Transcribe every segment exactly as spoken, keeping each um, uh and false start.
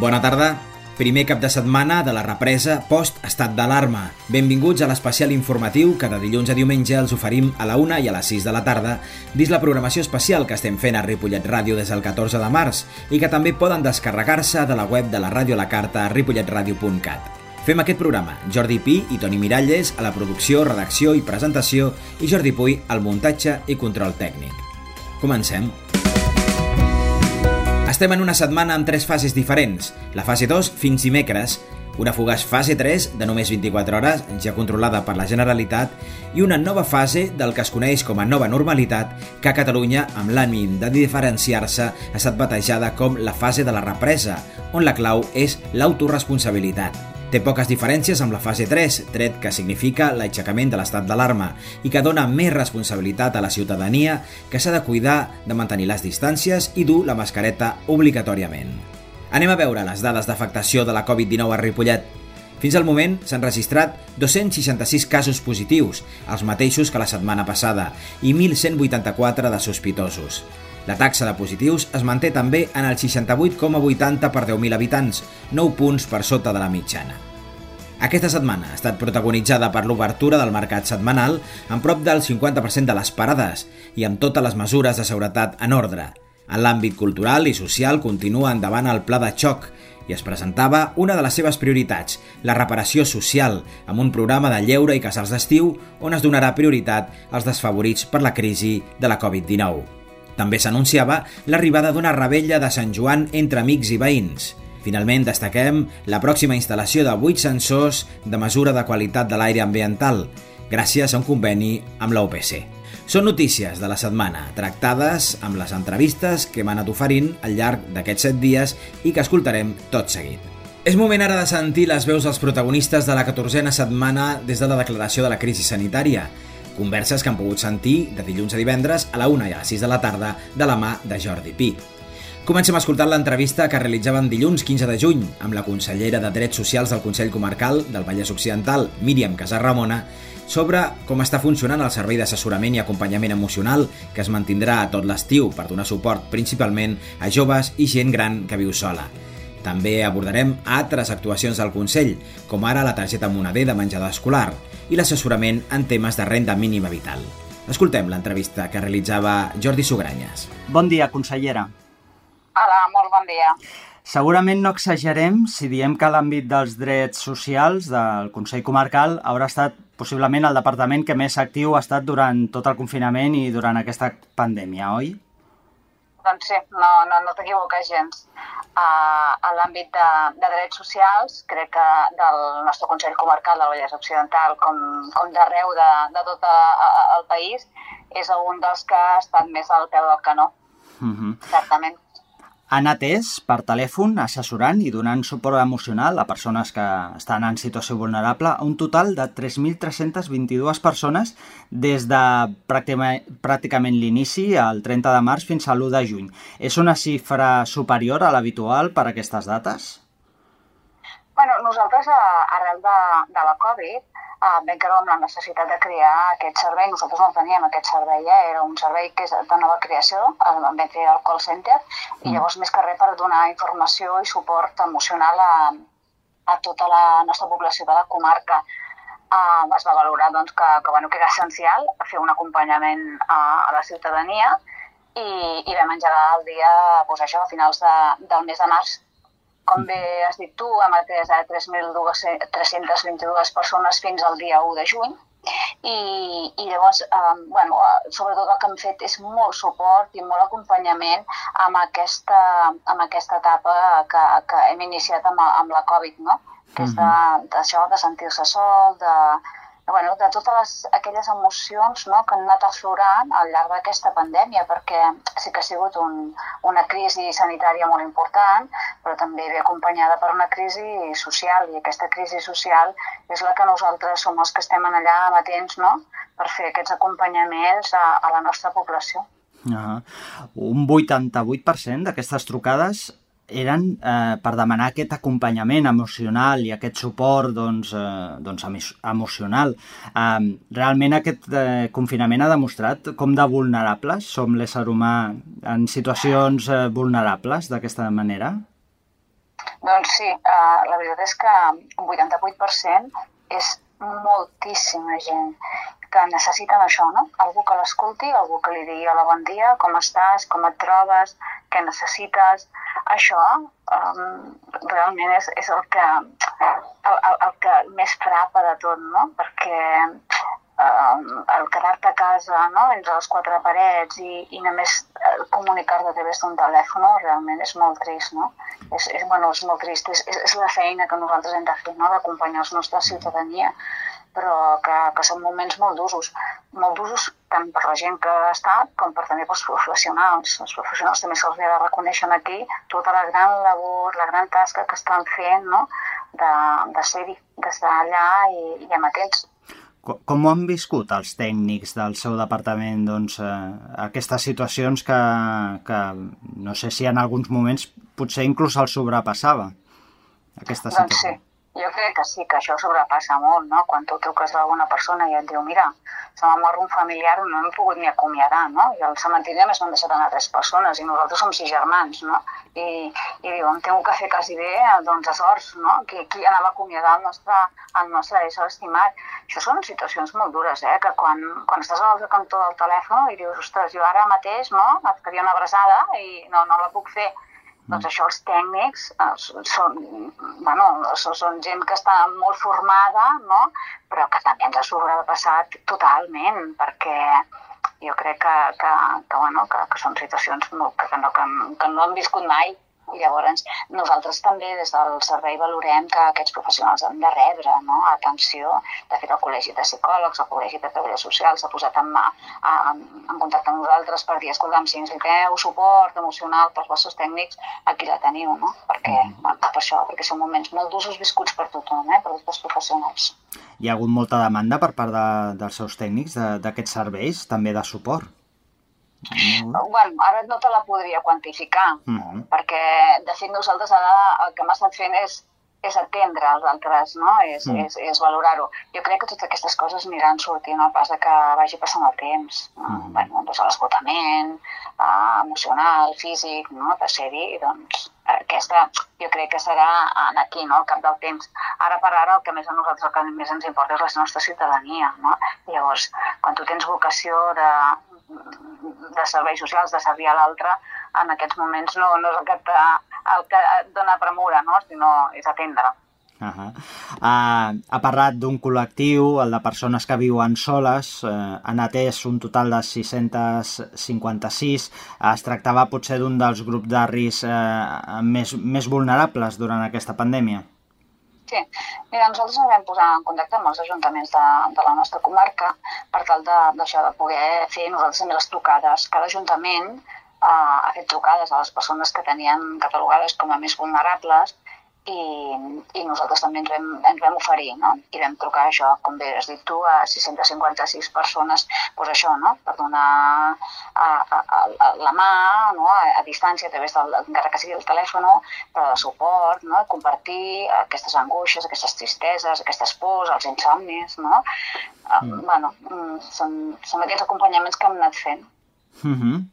Bona tarda. Primer cap de setmana de la represa post-estat d'alarma. Benvinguts a l'especial informatiu que de dilluns a diumenge els oferim a la una i a les sis de la tarda dins la programació especial que estem fent a Ripollet Ràdio des del catorze de març i que també poden descarregar-se de la web de la ràdio a la carta a ripollet ràdio punt cat. Fem aquest programa Jordi Pi i Toni Miralles a la producció, redacció i presentació i Jordi Puy al muntatge i control tècnic. Comencem. Estem en una setmana amb tres fases diferents. La fase dos fins dimecres, una fugaç fase tres de només vint-i-quatre hores, ja controlada per la Generalitat, i una nova fase del que es coneix com a nova normalitat, que a Catalunya, amb l'ànim de diferenciar-se, ha estat batejada com la fase de la represa, on la clau és l'autoresponsabilitat. Té poques diferències amb la fase tres, tret que significa l'aixecament de l'estat d'alarma i que dona més responsabilitat a la ciutadania que s'ha de cuidar de mantenir les distàncies i dur la mascareta obligatòriament. Anem a veure les dades d'afectació de la covid dinou a Ripollet. Fins al moment s'han registrat dos-cents seixanta-sis casos positius, els mateixos que la setmana passada, i mil cent vuitanta-quatre de sospitosos. La taxa de positius es manté també en el seixanta-vuit coma vuitanta per deu mil habitants, nou punts per sota de la mitjana. Aquesta setmana ha estat protagonitzada per l'obertura del mercat setmanal amb prop del cinquanta per cent de les parades i amb totes les mesures de seguretat en ordre. En l'àmbit cultural i social continua endavant el pla de xoc i es presentava una de les seves prioritats, la reparació social, amb un programa de lleure i casals d'estiu on es donarà prioritat als desfavorits per la crisi de la covid dinou. També s'anunciava l'arribada d'una revetlla de Sant Joan entre amics i veïns. Finalment, destaquem la pròxima instal·lació de vuit sensors de mesura de qualitat de l'aire ambiental, gràcies a un conveni amb la U P C. Són notícies de la setmana, tractades amb les entrevistes que hem anat oferint al llarg d'aquests set dies i que escoltarem tot seguit. És moment ara de sentir les veus dels protagonistes de la catorzena setmana des de la declaració de la crisi sanitària. Converses que han pogut sentir de dilluns a divendres a la una i a les sis de la tarda de la mà de Jordi Pi. Comencem escoltant l'entrevista que realitzaven dilluns quinze de juny amb la consellera de Drets Socials del Consell Comarcal del Vallès Occidental, Míriam Casarramona, sobre com està funcionant el servei d'assessorament i acompanyament emocional que es mantindrà a tot l'estiu per donar suport principalment a joves i gent gran que viu sola. També abordarem altres actuacions del Consell, com ara la targeta moneder de menjador escolar i l'assessorament en temes de renda mínima vital. Escoltem l'entrevista que realitzava Jordi Sugranyes. Bon dia, consellera. Hola, molt bon dia. Segurament no exagerem si diem que l'àmbit dels drets socials del Consell Comarcal haurà estat possiblement el departament que més actiu ha estat durant tot el confinament i durant aquesta pandèmia, oi? Doncs sí, no, no, no t'equivoques gens. Uh, a l'àmbit de, de drets socials, crec que del nostre Consell Comarcal del Vallès Occidental, com, com d'arreu de, de tot a, a, el país, és un dels que ha estat més al peu del canó, uh-huh. Certament. Han atès per telèfon, assessorant i donant suport emocional a persones que estan en situació vulnerable un total de tres mil tres-centes vint-i-dues persones des de pràcticament, pràcticament l'inici, el trenta de març, fins a l'u de juny. És una xifra superior a l'habitual per a aquestes dates? Bueno, nosaltres, arrel de, de la Covid, eh, vam creure amb la necessitat de crear aquest servei. Nosaltres no teníem aquest servei, eh? Era un servei que és de nova creació, el vam fer al call center, i llavors més que res per donar informació i suport emocional a, a tota la nostra població de la comarca. Eh, es va valorar doncs, que, que, bueno, que era essencial fer un acompanyament a, a la ciutadania i, i vam engegar el dia doncs, això, a finals de, del mes de març. Com bé has dit tu, hem atès a tres mil tres-centes vint-i-dues persones fins al dia u de juny i, i llavors, eh, bueno, sobretot el que hem fet és molt suport i molt acompanyament amb aquesta, amb aquesta etapa que, que hem iniciat amb, amb la Covid, no? Que és d'això, de, de sentir-se sol, de, bueno, de totes les, aquelles emocions, no, que han anat aflorant al llarg d'aquesta pandèmia, perquè sí que ha sigut un, una crisi sanitària molt important, però també ve acompanyada per una crisi social, i aquesta crisi social és la que nosaltres som els que estem allà amatents, no?, per fer aquests acompanyaments a, a la nostra població. Uh-huh. Un vuitanta-vuit per cent d'aquestes trucades eren eh, per demanar aquest acompanyament emocional i aquest suport doncs, eh, doncs emocional. Eh, realment aquest eh, confinament ha demostrat com de vulnerables som l'ésser humà en situacions eh, vulnerables d'aquesta manera? Doncs sí, uh, la veritat és que un vuitanta-vuit per cent és moltíssima gent que necessiten això, no? Algú que l'escolti, algú que li digui hola, bon dia, com estàs, com et trobes, què necessites. Això um, realment és, és el, que, el, el, el que més frapa de tot, no? Perquè um, el quedar-te a casa, no? Entre les quatre parets i, i només comunicar-te a través d'un telèfon realment és molt trist, no? És, és, bueno, és molt trist, és, és, és la feina que nosaltres hem de fer, no? D'acompanyar la nostra ciutadania, però que, que són moments molt d'usos, molt d'usos tant per la gent que ha estat com per també pels professionals. Els professionals també se'ls ha de reconèixer aquí tota la gran labor, la gran tasca que estan fent, no? de, de ser-hi, d'estar allà i, i amatents. Com, com ho han viscut els tècnics del seu departament, doncs, eh, aquestes situacions que, que no sé si en alguns moments potser inclús els sobrepassava, aquesta situació? Doncs sí. Jo crec que sí, que això sobrepassa molt, no? Quan tu truques a alguna persona i et diu, mira, se m'ha mort un familiar, no hem pogut ni acomiadar, no? I al cementiri només m'han deixat anar tres persones i nosaltres som sis germans, no? I, i diu, em tengo que fer quasi bé, doncs a sorts, no? Qui, qui anava a acomiadar el nostre, el nostre ésser estimat. Això són situacions molt dures, eh? Que quan, quan estàs a l'altre cantó del telèfon i dius, ostres, jo ara mateix, no? Et faria una abraçada i no, no la puc fer. Doncs això els tècnics eh, són, bueno, són, són gent que està molt formada, no? Però que també ens ha sobrepassat totalment, perquè jo crec que, que, que, bueno, que, que són situacions molt, que, no, que, que no hem viscut mai. I llavors nosaltres també des del servei valorem que aquests professionals han de rebre, no? Atenció. De fet, el Col·legi de Psicòlegs, el Col·legi de Treballadors Socials s'ha posat en, en, en contacte amb nosaltres per dir, escolta'm, si necessiteu suport emocional pels vostres tècnics, aquí la teniu, no? Perquè, mm. bueno, per això, perquè són moments molt d'usos viscuts per tothom, eh? Per tots els professionals. Hi ha hagut molta demanda per part de, dels seus tècnics d'aquests serveis, també de suport? Mm. Bueno, ara no te la podria quantificar, mm. perquè de fet nosaltres ara el que hem estat fent és, és atendre els altres, no? És, mm. és, és valorar-ho. Jo crec que totes aquestes coses aniran sortint al pas de que vagi passant el temps. No? Mm. Bueno, doncs l'esgotament eh, emocional, físic, no? De ser-hi, doncs aquesta jo crec que serà aquí, no? Al cap del temps. Ara per ara el que més a nosaltres el que més ens importa és la nostra ciutadania, no? Llavors, quan tu tens vocació de de serveis socials, de servir a l'altre, en aquests moments no, no és el que, te, el que et dona premura, no? Sinó és atendre. Uh -huh. uh, ha parlat d'un col·lectiu, el de persones que viuen soles, uh, han atès un total de sis-cents cinquanta-sis, uh, es tractava potser d'un dels grups de risc uh, més, més vulnerables durant aquesta pandèmia. Sí, mira, nosaltres ens vam posar en contacte amb els ajuntaments de, de la nostra comarca per tal de, d'això, de poder fer nosaltres també les trucades. Cada ajuntament eh, ha fet trucades a les persones que tenien catalogades com a més vulnerables i, i nosaltres també ens vam, ens vam oferir, no? I vam trucar això, com bé has dit tu, a sis-cents cinquanta-sis persones, doncs això, no? Per donar a, a, a la mà, no? a, a distància, a través del, encara que sigui el telèfon, però de suport, no? Compartir aquestes angoixes, aquestes tristeses, aquestes pors, els insomnis, no? Mm. Bueno, són, són aquests acompanyaments que hem anat fent. Mm-hmm.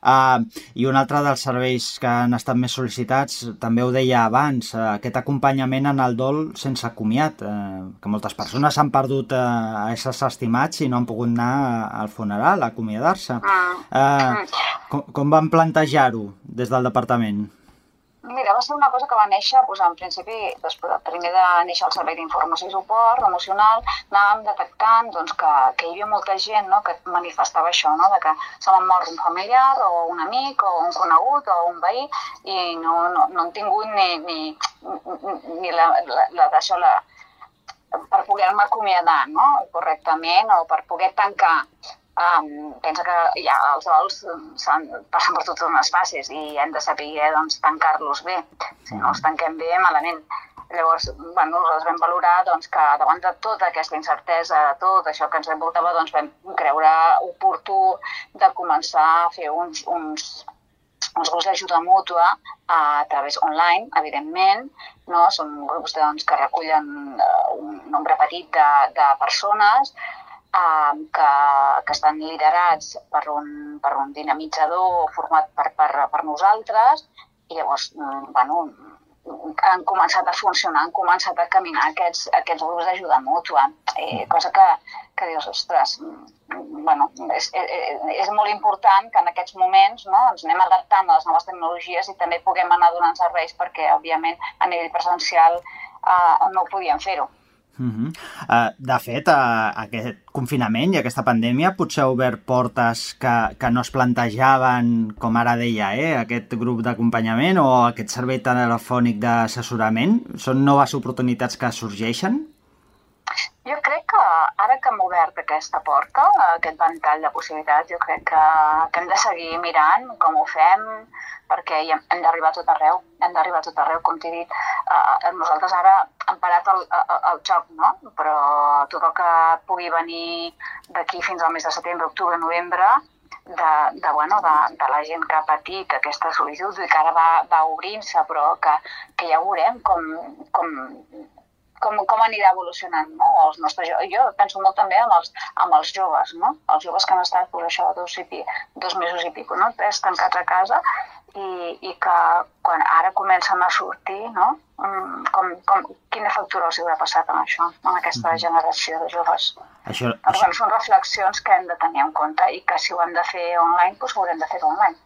Uh, I un altre dels serveis que han estat més sol·licitats, també ho deia abans, uh, aquest acompanyament en el dol sense comiat, uh, que moltes persones han perdut uh, a éssers estimats i no han pogut anar al funeral, a acomiadar-se. Uh, com, com van plantejar-ho des del departament? Mira, va ser una cosa que va néixer, doncs, en principi, després, primer de néixer el servei d'informació i suport emocional, anàvem detectant doncs, que, que hi havia molta gent, no?, que manifestava això, no?, de que se m'ha mort un familiar o un amic o un conegut o un veí i no, no, no han tingut ni, ni, ni la, la, la d'això, la, per poder-me acomiadar, no?, correctament, o per poder tancar. Um, pensa que ja els dols passen per totes unes fases i hem de saber doncs, tancar-los bé. Si no els tanquem bé, malament. Llavors, bueno, nosaltres vam valorar doncs, que davant de tota aquesta incertesa, de tot això que ens envoltava, doncs, vam creure oportú de començar a fer uns, uns, uns grups d'ajuda mútua a través online, evidentment, no? Són grups doncs, que recullen uh, un nombre petit de, de persones Uh, que, que estan liderats per un, per un dinamitzador format per, per, per nosaltres i llavors, bueno, han començat a funcionar, han començat a caminar aquests, aquests grups d'ajuda mútua, eh, cosa que, que dius, ostres, bueno, és, és, és molt important que en aquests moments, no, ens anem adaptant a les noves tecnologies i també puguem anar donant serveis perquè, òbviament, a nivell presencial eh, no podíem fer-ho. Uh -huh. uh, de fet, uh, aquest confinament i aquesta pandèmia potser ha obert portes que, que no es plantejaven, com ara deia, eh, aquest grup d'acompanyament o aquest servei telefònic d'assessorament. Són noves oportunitats que sorgeixen? Jo crec que ara que hem obert aquesta porta, aquest ventall de possibilitats, jo crec que, que hem de seguir mirant com ho fem, perquè hem d'arribar a tot arreu, hem d'arribar a tot arreu, com t'he dit. Uh, nosaltres ara hem parat el, el, el joc, no? Però tot el que pugui venir d'aquí fins al mes de setembre, octubre, novembre, de, de, bueno, de, de la gent que ha patit aquesta solitud i que ara va, va obrint-se, però que, que ja veurem com, com, com, com anirà evolucionant, no? Els nostres, jo, jo penso molt també amb els, amb els joves, no? Els joves que han estat, per això, dos, i pi, dos mesos i pico, no? Tres tancats a casa, i, i que quan ara comencen a sortir, no? Com, com, quina factura els haurà passat en això, en aquesta generació de joves. Això, doncs, això... bueno, són reflexions que hem de tenir en compte i que si ho hem de fer online, doncs ho haurem de fer online.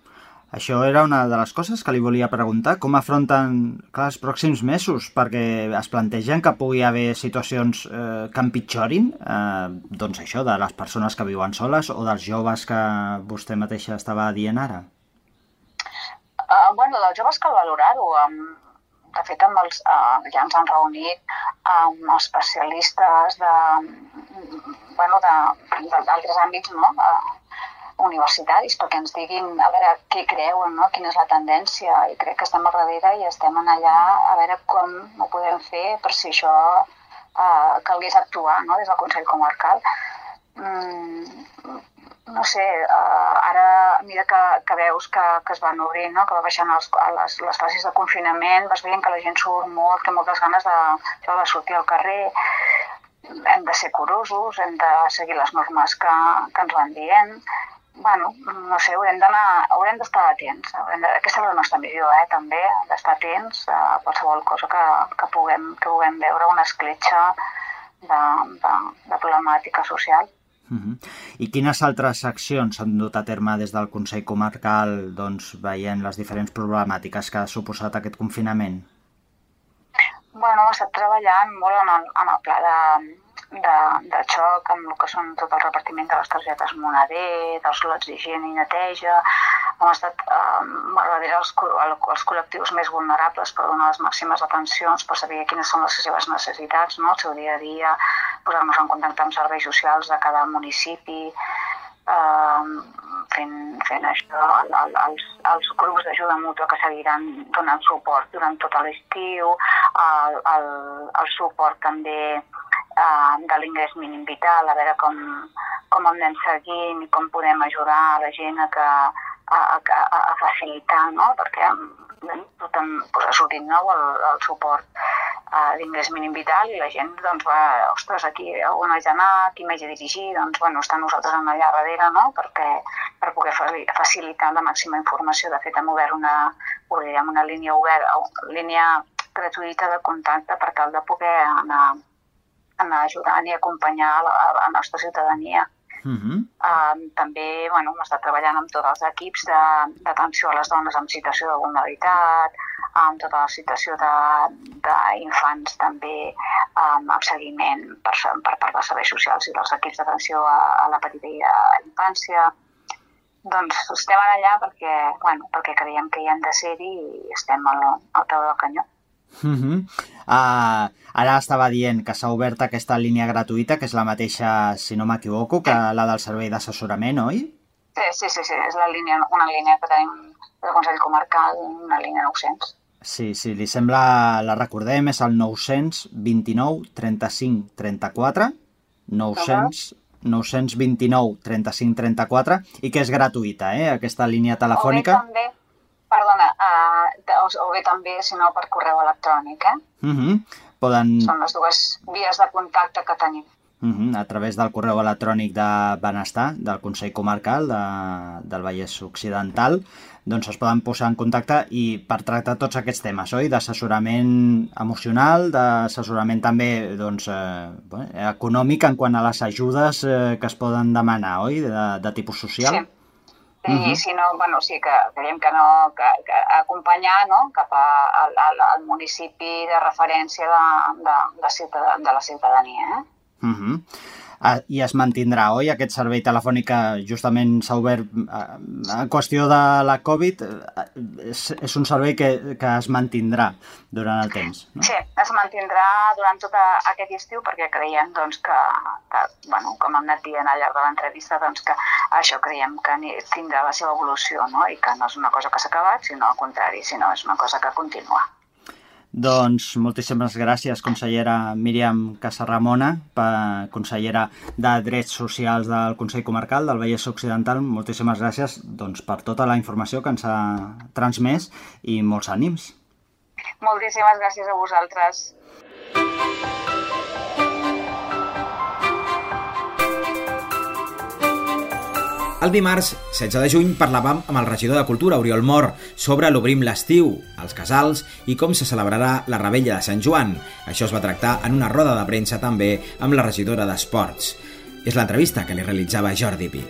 Això era una de les coses que li volia preguntar. Com afronten clar, els pròxims mesos? Perquè es plantegen que pugui haver situacions eh, que empitjorin, eh, doncs això, de les persones que viuen soles o dels joves que vostè mateixa estava dient ara. Uh, bueno, dels joves cal valorar-ho. Um, de fet, amb els, uh, ja ens han reunit amb els especialistes de, bueno, d'altres àmbits, no? Uh, universitaris, perquè ens diguin a veure què creuen, no? Quina és la tendència, i crec que estem al darrere i estem en allà a veure com ho podem fer per si això uh, calgués actuar, no? Des del Consell Comarcal. Mm, no sé, uh, ara a mesura que, que veus que, que es van obrint, no? Que va baixant els, les, les fases de confinament, vas veient que la gent surt molt, que moltes ganes de, de sortir al carrer. Hem de ser curosos, hem de seguir les normes que, que ens van dient. Bueno, no sé, haurem d'anar, haurem d'estar atents. Haurem de, aquesta és la nostra missió, eh, també, d'estar atents a qualsevol cosa que, que, puguem, que puguem veure, una escletxa de, de, de problemàtica social. Uh-huh. I quines altres accions s'han dut a terme des del Consell Comarcal, doncs, veient les diferents problemàtiques que ha suposat aquest confinament? Bueno, ha estat treballant molt en el, en el pla de, de, de xoc, amb el que són tot el repartiment de les targetes Moneder, dels lots d'higiene i neteja. Hem estat eh, darrere els, els col·lectius més vulnerables per donar les màximes atencions, per saber quines són les seves necessitats, no? El seu dia a dia, posar-nos en contacte amb serveis socials de cada municipi, eh, fent, fent això, els, els grups d'ajuda mútua que seguiran donant suport durant tot l'estiu, el, el, el suport també eh, de l'ingrés mínim vital, a veure com, com el anem seguint i com podem ajudar a la gent a, que, a, a, a facilitar, no? Perquè tothom posa sortint nou el, el suport uh, d'ingrés mínim vital i la gent doncs va, ostres, aquí on haig d'anar, aquí m'haig de dirigir, doncs bueno, estan nosaltres allà darrere, no? Perquè, per poder facilitar la màxima informació. De fet, hem obert una, obrirem una línia oberta, línia gratuïta de contacte per tal de poder anar, anar ajudant i acompanyar la, la nostra ciutadania. Uh-huh. Uh, també bueno, hem estat treballant amb tots els equips d'atenció a les dones en situació de vulnerabilitat, amb tota la situació d'infants també, um, amb seguiment per, per part dels serveis socials i dels equips d'atenció a, a la petita i a la infància. Doncs estem allà perquè, bueno, perquè creiem que hi hem de ser-hi i estem al, al peu del canyó. Uh-huh. uh, ara estava dient que s'ha obert aquesta línia gratuïta, que és la mateixa, si no m'equivoco, que la del servei d'assessorament, oi? Sí, sí, sí, sí, és la línia, una línia que tenim del Consell Comarcal, una línia nou-cents. Sí, sí, li sembla, la recordem, és el nou-cents vint-i-nou trenta-cinc trenta-quatre, nou-cents, nou-cents vint-i-nou trenta-cinc trenta-quatre, i que és gratuïta, eh, aquesta línia telefònica. O bé també, perdona, uh, o bé també, si no, per correu electrònic, eh? Uh-huh. Poden... Són les dues vies de contacte que tenim. Uh-huh. A través del correu electrònic de Benestar, del Consell Comarcal de, del Vallès Occidental, doncs es poden posar en contacte i per tractar tots aquests temes, oi? D'assessorament emocional, d'assessorament també doncs, eh, bueno, econòmic en quant a les ajudes eh, que es poden demanar, oi? De, de tipus social. Sí. I uh-huh. si no, bueno, sí que creiem que no, que, que acompanyar, no?, cap a, al, al municipi de referència de, de, de, ciutadà, de la ciutadania. Eh? Uh-huh. Uh, I es mantindrà, oi, aquest servei telefònic que justament s'ha obert uh, en qüestió de la Covid, uh, és, és un servei que, que es mantindrà durant el temps, no? Sí, es mantindrà durant tot aquest estiu perquè creiem doncs, que, que, bueno, com hem anat dient al llarg de l'entrevista, doncs, que això creiem que tindrà la seva evolució, no? I que no és una cosa que s'ha acabat, sinó al contrari, sinó és una cosa que continua. Doncs moltíssimes gràcies, consellera Míriam Casarramona, consellera de Drets Socials del Consell Comarcal del Vallès Occidental. Moltíssimes gràcies doncs, per tota la informació que ens ha transmès i molts ànims. Moltíssimes gràcies a vosaltres. El dimarts, setze de juny, parlàvem amb el regidor de Cultura, Oriol Mor, sobre l'Obrim l'estiu, els casals i com se celebrarà la Revetlla de Sant Joan. Això es va tractar en una roda de premsa també amb la regidora d'Esports. És l'entrevista que li realitzava Jordi Pi.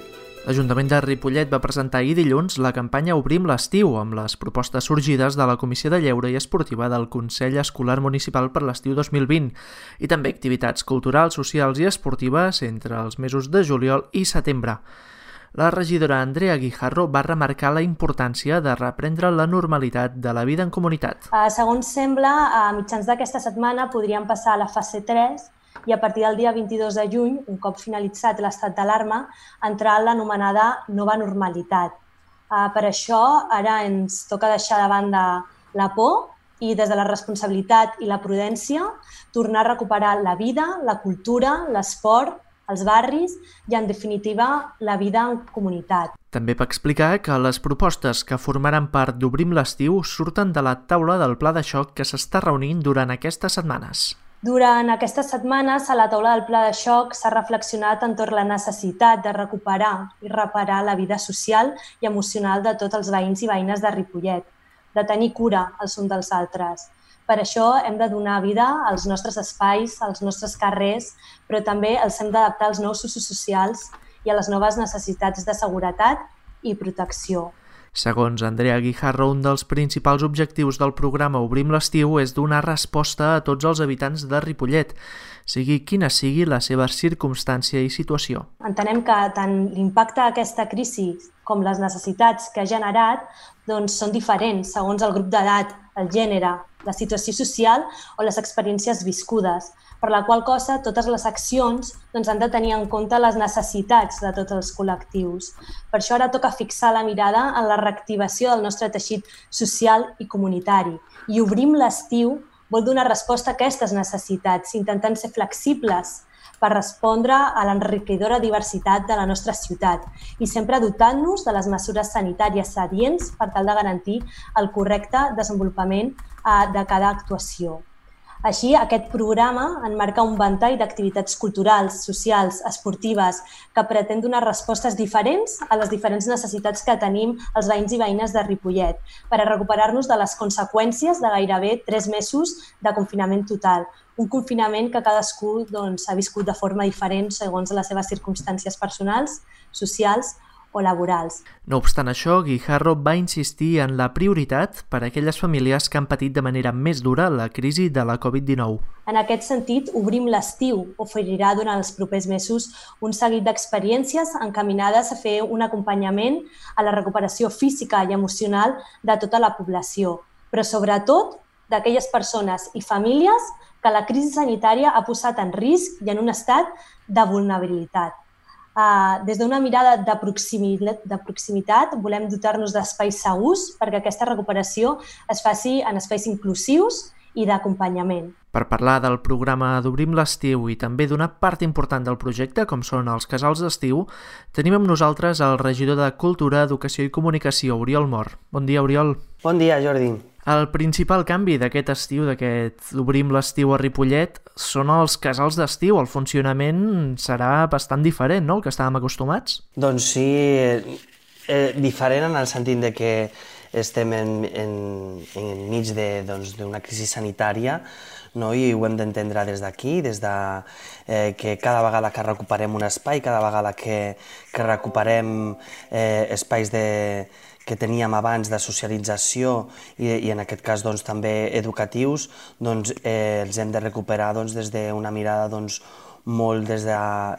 L'Ajuntament de Ripollet va presentar ahir dilluns la campanya Obrim l'estiu, amb les propostes sorgides de la Comissió de Lleure i Esportiva del Consell Escolar Municipal per l'estiu dos mil vint i també activitats culturals, socials i esportives entre els mesos de juliol i setembre. La regidora Andrea Guijarro va remarcar la importància de reprendre la normalitat de la vida en comunitat. Uh, segons sembla, a mitjans d'aquesta setmana podríem passar a la fase tres i a partir del dia vint-i-dos de juny, un cop finalitzat l'estat d'alarma, entrar en l'anomenada nova normalitat. Uh, per això, ara ens toca deixar de banda la por i des de la responsabilitat i la prudència tornar a recuperar la vida, la cultura, l'esport, els barris i, en definitiva, la vida en comunitat. També va explicar que les propostes que formaran part d'Obrim l'estiu surten de la taula del pla de xoc que s'està reunint durant aquestes setmanes. Durant aquestes setmanes, a la taula del pla de xoc s'ha reflexionat entorn la necessitat de recuperar i reparar la vida social i emocional de tots els veïns i veïnes de Ripollet, de tenir cura els uns dels altres. Per això hem de donar vida als nostres espais, als nostres carrers, però també els hem d'adaptar als nous usos socials i a les noves necessitats de seguretat i protecció. Segons Andrea Guijarro, un dels principals objectius del programa Obrim l'estiu és donar resposta a tots els habitants de Ripollet, sigui quina sigui la seva circumstància i situació. Entenem que tant l'impacte d'aquesta crisi com les necessitats que ha generat doncs, són diferents segons el grup d'edat, el gènere, la situació social o les experiències viscudes, per la qual cosa totes les accions doncs, han de tenir en compte les necessitats de tots els col·lectius. Per això ara toca fixar la mirada en la reactivació del nostre teixit social i comunitari. I Obrim l'estiu vol donar resposta a aquestes necessitats, intentant ser flexibles per respondre a l'enriquidora diversitat de la nostra ciutat i sempre dotant-nos de les mesures sanitàries adients per tal de garantir el correcte desenvolupament de cada actuació. Així, aquest programa enmarca un ventall d'activitats culturals, socials, esportives, que pretén donar respostes diferents a les diferents necessitats que tenim els veïns i veïnes de Ripollet per a recuperar-nos de les conseqüències de gairebé tres mesos de confinament total. Un confinament que cadascú doncs, ha viscut de forma diferent segons les seves circumstàncies personals, socials o laborals. No obstant això, Guijarro va insistir en la prioritat per a aquelles famílies que han patit de manera més dura la crisi de la covid dinou. En aquest sentit, Obrim l'estiu oferirà durant els propers mesos un seguit d'experiències encaminades a fer un acompanyament a la recuperació física i emocional de tota la població, però sobretot d'aquelles persones i famílies que la crisi sanitària ha posat en risc i en un estat de vulnerabilitat. Uh, des d'una mirada de proximitat, de proximitat volem dotar-nos d'espais segurs perquè aquesta recuperació es faci en espais inclusius i d'acompanyament. Per parlar del programa d'Obrim l'Estiu i també d'una part important del projecte, com són els casals d'estiu, tenim amb nosaltres el regidor de Cultura, Educació i Comunicació, Oriol Mor. Bon dia, Oriol. Bon dia, Jordi. El principal canvi d'aquest estiu, d'aquest Obrim l'Estiu a Ripollet, són els casals d'estiu. El funcionament serà bastant diferent, no?, el que estàvem acostumats? Doncs sí, eh, diferent en el sentit de que estem en, en, en mig d'una doncs, crisi sanitària, no? I ho hem d'entendre des d'aquí, des de eh, que cada vegada que recuperem un espai, cada vegada que, que recuperem eh, espais de que teníem abans de socialització i, i en aquest cas doncs, també educatius, doncs, eh, els hem de recuperar doncs, des d'una mirada doncs, molt des de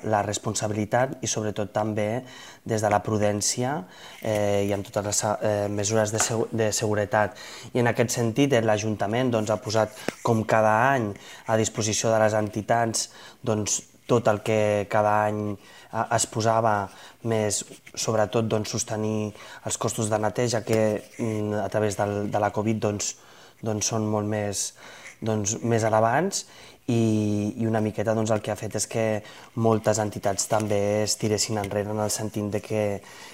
la responsabilitat i sobretot també des de la prudència eh, i amb totes les eh, mesures de, segu de seguretat. I en aquest sentit l'Ajuntament doncs, ha posat com cada any a disposició de les entitats doncs, tot el que cada any es posava, més sobretot doncs, sostenir els costos de neteja que a través del, de la Covid doncs, doncs, són molt més, doncs, més elevats i, i una miqueta doncs, el que ha fet és que moltes entitats també es tiressin enrere en el sentit de que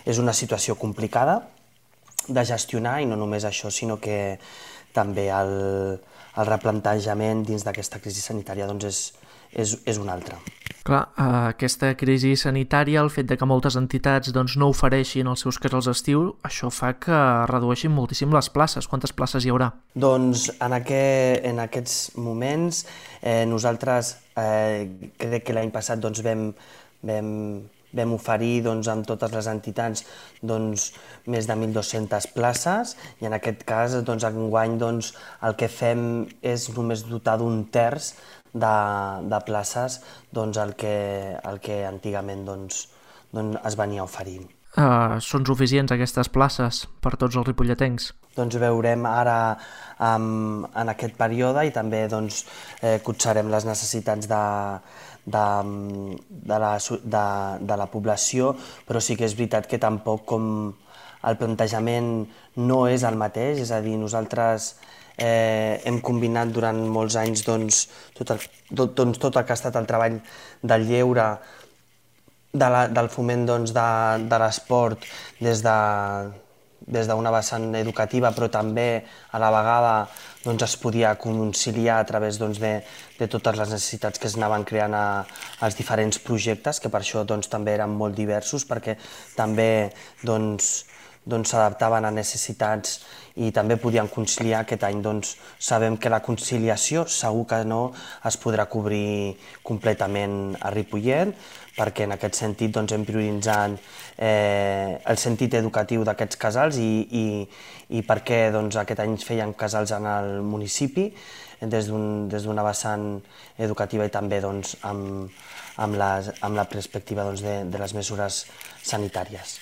és una situació complicada de gestionar i no només això, sinó que també el, el replantejament dins d'aquesta crisi sanitària doncs, és, és, és un altre. Clar, aquesta crisi sanitària, el fet de que moltes entitats doncs, no ofereixin els seus casals d'estiu, això fa que redueixin moltíssim les places. Quantes places hi haurà? Doncs en, aquest, en aquests moments eh, nosaltres eh, crec que l'any passat doncs, vam, vam, vam oferir doncs, amb totes les entitats doncs, més de mil dues-centes places i en aquest cas doncs, enguany doncs, el que fem és només dotar d'un terç De, de places doncs, el, que, el que antigament doncs, doncs es venia oferint. Uh, són suficients aquestes places per tots els ripolletens? Doncs veurem ara um, en aquest període i també doncs, eh, cotxarem les necessitats de, de, de, la, de, de la població, però sí que és veritat que tampoc com el plantejament no és el mateix, és a dir, nosaltres Eh, hem combinat durant molts anys doncs, tot, el, tot, doncs, tot el que ha estat el treball del lleure, de la, del foment doncs, de, de l'esport des de, des d'una vessant educativa, però també a la vegada doncs, es podia conciliar a través doncs, de, de totes les necessitats que es anaven creant a, als diferents projectes, que per això doncs, també eren molt diversos, perquè també doncs, doncs, s'adaptaven a necessitats i també podien conciliar. Aquest any doncs, sabem que la conciliació segur que no es podrà cobrir completament a Ripollet, perquè en aquest sentit doncs, hem prioritzat eh, el sentit educatiu d'aquests casals i, i, i perquè doncs, aquest any feien casals en el municipi des d'un, des d'una vessant educativa i també doncs, amb, amb, les, amb la perspectiva doncs, de, de les mesures sanitàries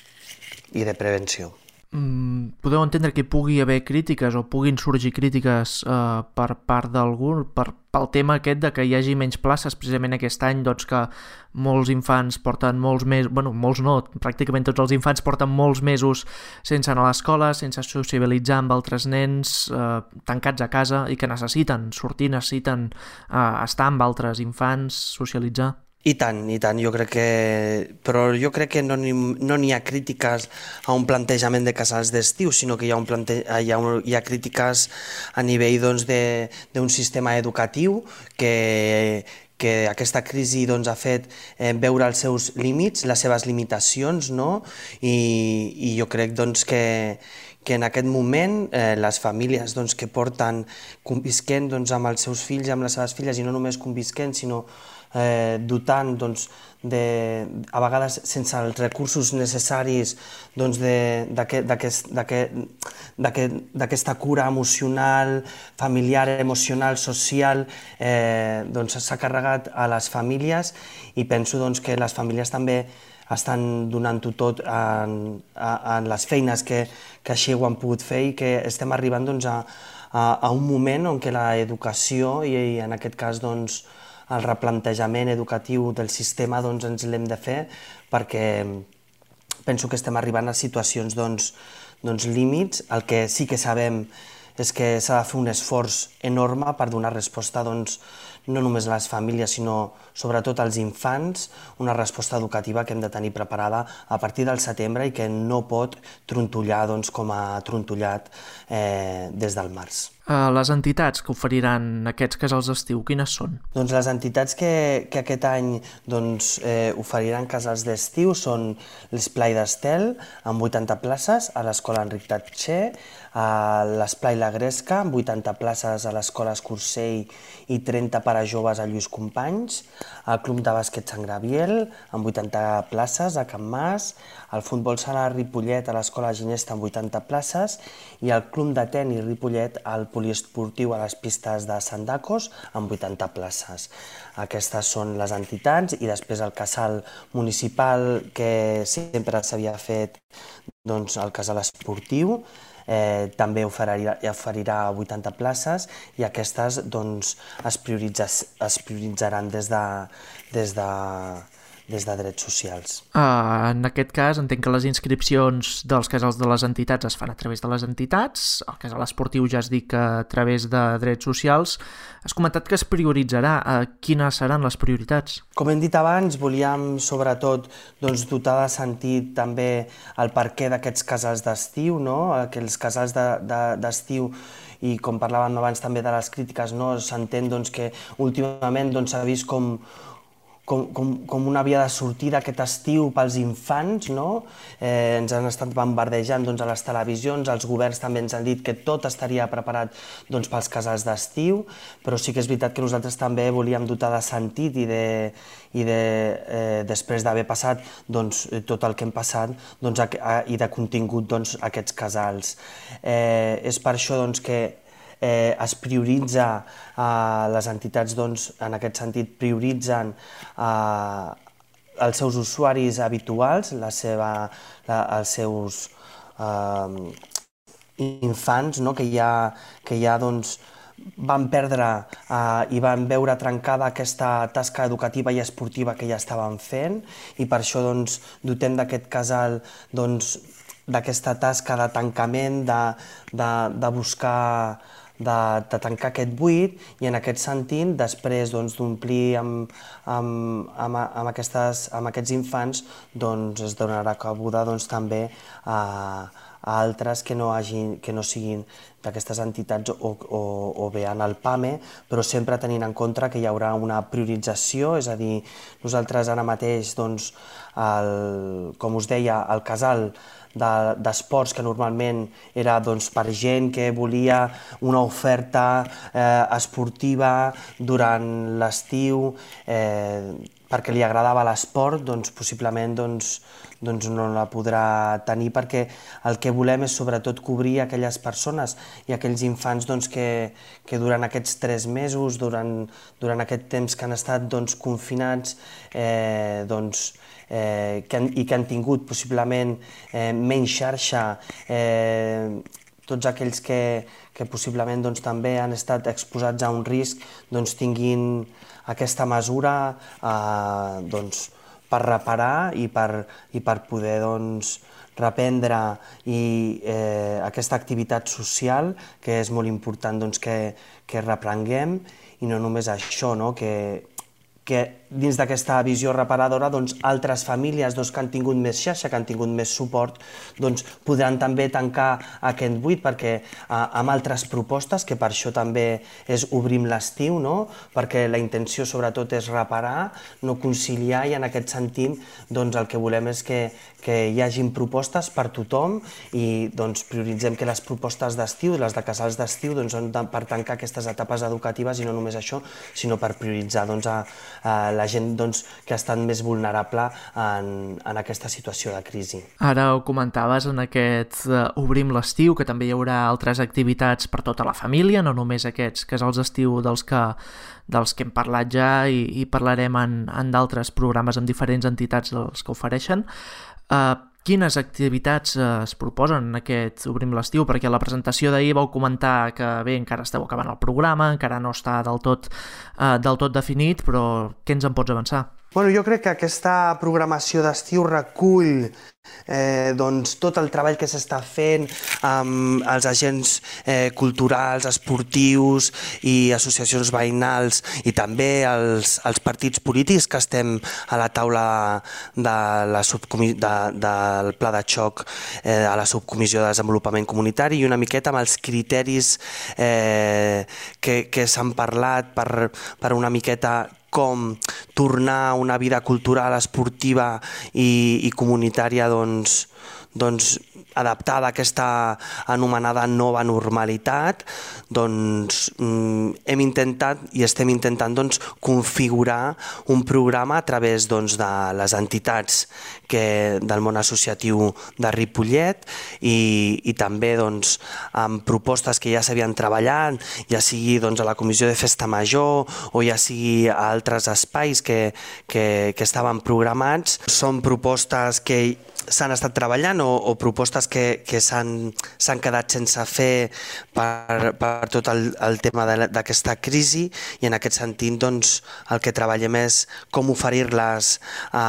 i de prevenció. Mm, podeu entendre que hi pugui haver crítiques o puguin sorgir crítiques eh, per part d'algú per, pel tema aquest de que hi hagi menys places precisament aquest any, doncs que molts infants porten molts mesos, bueno, molts no, pràcticament tots els infants porten molts mesos sense anar a l'escola, sense sociabilitzar amb altres nens, eh, tancats a casa i que necessiten sortir, necessiten eh, estar amb altres infants, socialitzar. I tant, i tant, jo crec que... Però jo crec que no n'hi no n'hi ha crítiques a un plantejament de casals d'estiu, sinó que hi ha, un plante... hi ha, un... hi ha crítiques a nivell doncs, d'un sistema educatiu que, que aquesta crisi doncs, ha fet eh, veure els seus límits, les seves limitacions, no? I, i jo crec doncs, que, que en aquest moment eh, les famílies doncs, que porten convisquent doncs, amb els seus fills i amb les seves filles, i no només convisquent, sinó Eh, dotant doncs, de, a vegades sense els recursos necessaris doncs, d'aquesta cura emocional, familiar, emocional, social, eh, doncs, s'ha carregat a les famílies i penso doncs, que les famílies també estan donant-ho tot en, en les feines que, que així ho han pogut fer i que estem arribant doncs, a, a, a un moment on que l'educació i, i en aquest cas doncs, el replantejament educatiu del sistema doncs, ens l'hem de fer perquè penso que estem arribant a situacions doncs, doncs, límits. El que sí que sabem és que s'ha de fer un esforç enorme per donar resposta, doncs, no només a les famílies, sinó sobretot als infants, una resposta educativa que hem de tenir preparada a partir del setembre i que no pot trontollar doncs, com ha trontollat eh, des del març. Les entitats que oferiran aquests casals d'estiu, quines són? Doncs les entitats que, que aquest any doncs, eh, oferiran casals d'estiu són l'Esplai d'Estel, amb vuitanta places, a l'Escola Enric Tatxer, a l'Esplai La Gresca, amb vuitanta places a l'Escola Escursell i trenta per a joves a Lluís Companys, al Club de Bàsquet Sant Gabriel, amb vuitanta places a Can Mas, al Futbol Sala Ripollet a l'Escola Ginesta amb vuitanta places i al Club de Tenis Ripollet al Poliesportiu a les pistes de Sandacos amb vuitanta places. Aquestes són les entitats i després el casal municipal que sempre s'havia fet, doncs el casal esportiu, eh, també oferirà, oferirà vuitanta places i aquestes doncs, es, prioritza, es prioritzaran des de, des de des de drets socials. Uh, en aquest cas, entenc que les inscripcions dels casals de les entitats es fan a través de les entitats, el casal esportiu ja es dic que a través de drets socials. Has comentat que es prioritzarà. Uh, quines seran les prioritats? Com hem dit abans, volíem sobretot doncs, dotar de sentit també el perquè d'aquests casals d'estiu, no? Aquells casals d'estiu de, de, i com parlàvem abans també de les crítiques, no? S'entén doncs, que últimament doncs, s'ha vist com Com, com, com una via de sortida aquest estiu pels infants, no? Eh, ens han estat bombardejant doncs, a les televisions, els governs també ens han dit que tot estaria preparat doncs, pels casals d'estiu, però sí que és veritat que nosaltres també volíem dotar de sentit i, de, i de, eh, després d'haver passat doncs, tot el que hem passat doncs, a, a, i de contingut doncs, aquests casals. Eh, és per això doncs, que Eh, es prioritza, eh, les entitats doncs, en aquest sentit prioritzen eh, els seus usuaris habituals, la seva, la, els seus eh, infants, no? que ja, que ja doncs, van perdre eh, i van veure trencada aquesta tasca educativa i esportiva que ja estaven fent i per això doncs, dotem d'aquest casal doncs, d'aquesta tasca de tancament, de, de, de buscar De, de tancar aquest buit i en aquest sentit, després doncs, d'omplir amb, amb, amb, amb, aquestes, amb aquests infants, doncs, es donarà cabuda doncs, també a, a altres que no, hagin, que no siguin d'aquestes entitats o, o, o bé en el PAME, però sempre tenint en compte que hi haurà una priorització, és a dir, nosaltres ara mateix, doncs, el, com us deia, el casal d'esports que normalment era doncs, per gent que volia una oferta eh, esportiva durant l'estiu eh, perquè li agradava l'esport, doncs possiblement doncs, doncs no la podrà tenir perquè el que volem és sobretot cobrir aquelles persones i aquells infants doncs, que, que durant aquests tres mesos, durant, durant aquest temps que han estat doncs, confinats, eh, doncs, Eh, que han, i que han tingut possiblement eh, menys xarxa, eh, tots aquells que, que possiblement doncs, també han estat exposats a un risc doncs, tinguin aquesta mesura eh, doncs, per reparar i per, i per poder doncs, reprendre i, eh, aquesta activitat social que és molt important doncs, que, que reprenguem i no només això, no? que que dins d'aquesta visió reparadora doncs, altres famílies doncs, que han tingut més xarxa, que han tingut més suport, doncs, podran també tancar aquest buit perquè, eh, amb altres propostes, que per això també és Obrim l'estiu, no? Perquè la intenció sobretot és reparar, no conciliar i en aquest sentit doncs, el que volem és que, que hi hagin propostes per tothom i doncs, prioritzem que les propostes d'estiu, les de casals d'estiu, doncs, són per tancar aquestes etapes educatives i no només això, sinó per prioritzar doncs, a, a la gent doncs, que ha estat més vulnerable en, en aquesta situació de crisi. Ara ho comentaves en aquest uh, Obrim l'estiu, que també hi haurà altres activitats per tota la família, no només aquests casals d'estiu dels que, dels que hem parlat ja i, i parlarem en, en d'altres programes amb diferents entitats dels que ofereixen. Uh, Quines activitats es proposen en aquest Obrim l'estiu? Perquè a la presentació d'ahir vau comentar que bé, encara esteu acabant el programa, encara no està del tot, eh, del tot definit, però què ens en pots avançar? Bueno, jo crec que aquesta programació d'estiu recull eh, doncs, tot el treball que s'està fent amb els agents eh, culturals, esportius i associacions veïnals i també els, els partits polítics que estem a la taula de la subcomi de, del pla de xoc eh, a la subcomissió de desenvolupament comunitari i una miqueta amb els criteris eh, que, que s'han parlat per, per una miqueta com tornar a una vida cultural, esportiva i, i comunitària doncs, doncs, adaptada a aquesta anomenada nova normalitat, doncs mm, hem intentat i estem intentant doncs, configurar un programa a través doncs, de les entitats que, del món associatiu de Ripollet i, i també doncs, amb propostes que ja s'havien treballat, ja sigui doncs, a la Comissió de Festa Major o ja sigui a altres espais que, que, que estaven programats. Són propostes que s'han estat treballant o, o propostes que, que s'han quedat sense fer per, per tot el, el tema d'aquesta crisi i en aquest sentit doncs, el que treballem és com oferir-les a,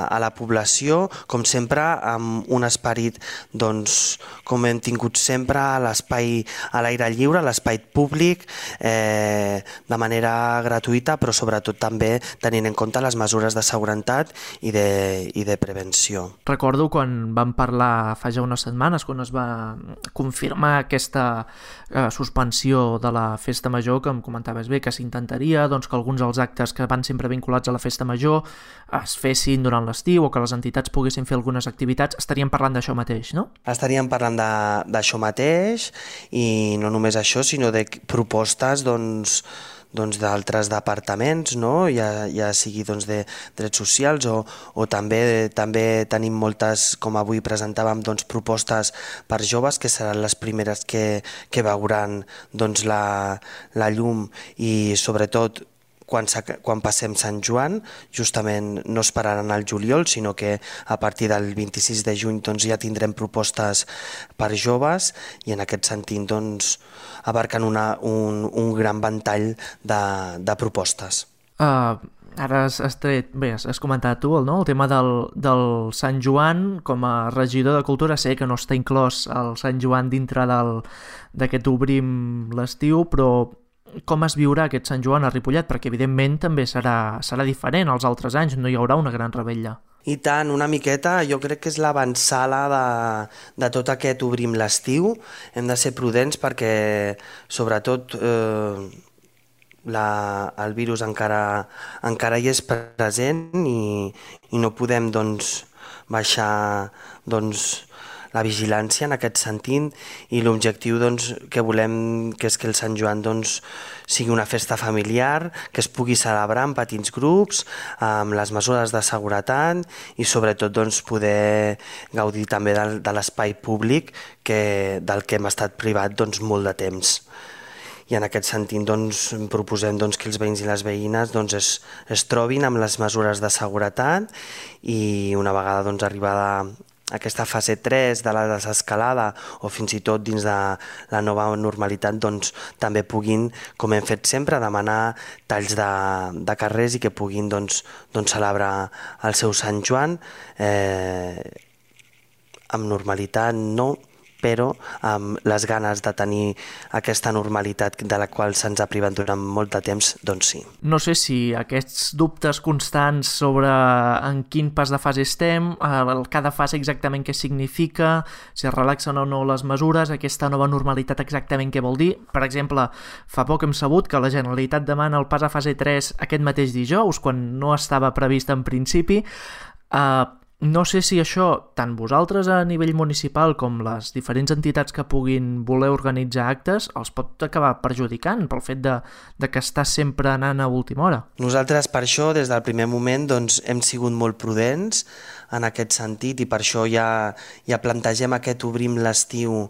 a la població, com sempre amb un esperit doncs, com hem tingut sempre a l'espai a l'aire lliure, a l'espai públic, eh, de manera gratuïta però sobretot també tenint en compte les mesures de seguretat i de, i de prevenció. Recordo quan vam parlar fa ja unes setmanes, quan es va confirmar aquesta eh, suspensió de la Festa Major, que em comentaves bé que s'intentaria doncs, que alguns dels actes que van sempre vinculats a la Festa Major es fessin durant l'estiu o que les entitats poguessin fer algunes activitats. Estaríem parlant d'això mateix, no? Estaríem parlant d'això mateix i no només això, sinó de propostes doncs, doncs d'altres departaments, no? ja, ja sigui doncs, de drets socials o, o també també tenim moltes, com avui presentàvem, doncs, propostes per joves que seran les primeres que, que veuran doncs, la, la llum i sobretot quan, quan passem Sant Joan, justament no esperaran al juliol, sinó que a partir del vint-i-sis de juny doncs, ja tindrem propostes per joves i en aquest sentit doncs, abarquen una, un, un gran ventall de, de propostes. Uh, ara has, has tret, bé, has, has comentat tu, no? El tema del, del Sant Joan com a regidor de Cultura. Sé que no està inclòs el Sant Joan dintre d'aquest Obrim l'estiu, però com es viurà aquest Sant Joan a Ripollet? Perquè evidentment també serà, serà diferent als altres anys, no hi haurà una gran revetlla. I tant, una miqueta, jo crec que és l'avançala de, de tot aquest Obrim l'estiu. Hem de ser prudents perquè, sobretot, eh, la, el virus encara, encara hi és present i, i no podem doncs, baixar doncs, la vigilància en aquest sentit i l'objectiu doncs, que volem que és que el Sant Joan doncs, sigui una festa familiar, que es pugui celebrar en petits grups, amb les mesures de seguretat i sobretot doncs, poder gaudir també de, de l'espai públic que, del que hem estat privat doncs, molt de temps. I en aquest sentit doncs, proposem doncs, que els veïns i les veïnes doncs, es, es trobin amb les mesures de seguretat i una vegada doncs, arribada aquesta fase tres de la desescalada o fins i tot dins de la nova normalitat doncs, també puguin, com hem fet sempre, demanar talls de, de carrers i que puguin doncs, doncs, celebrar el seu Sant Joan eh, amb normalitat, no, però amb les ganes de tenir aquesta normalitat de la qual se'ns ha privat durant molt de temps, doncs sí. No sé si aquests dubtes constants sobre en quin pas de fase estem, cada fase exactament què significa, si es relaxen o no les mesures, aquesta nova normalitat exactament què vol dir. Per exemple, fa poc hem sabut que la Generalitat demana el pas a fase tres aquest mateix dijous, quan no estava previst en principi. Uh, No sé si això, tant vosaltres a nivell municipal com les diferents entitats que puguin voler organitzar actes, els pot acabar perjudicant pel fet de, de que està sempre anant a última hora. Nosaltres per això des del primer moment doncs, hem sigut molt prudents en aquest sentit i per això ja, ja plantegem aquest Obrim l'estiu,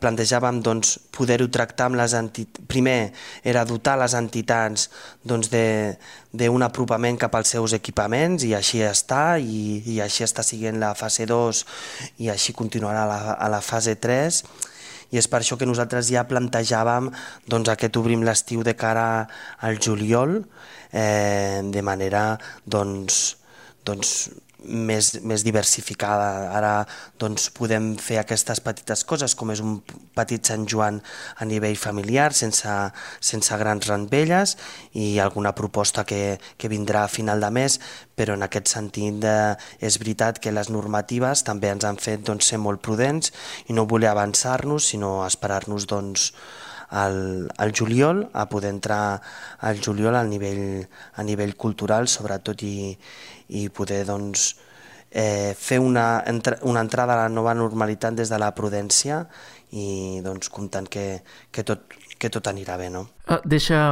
plantejàvem doncs, poder-ho tractar amb les entitats. Primer era dotar les entitats doncs, d'un apropament cap als seus equipaments i així està, i, i així està siguent la fase dos i així continuarà a la, a la fase tres. i és per això que nosaltres ja plantejàvem doncs, aquest Obrim l'estiu de cara al juliol, eh, de manera doncs, doncs, més, més diversificada. Ara doncs, podem fer aquestes petites coses, com és un petit Sant Joan a nivell familiar, sense, sense grans rampelles, i alguna proposta que, que vindrà a final de mes, però en aquest sentit eh, és veritat que les normatives també ens han fet doncs, ser molt prudents i no voler avançar-nos, sinó esperar-nos doncs, al, al juliol, a poder entrar al juliol a nivell, a nivell cultural, sobretot, i, i poder doncs, eh, fer una, una entrada a la nova normalitat des de la prudència i doncs, comptant que, que, tot, que tot anirà bé. No? Uh, deixa,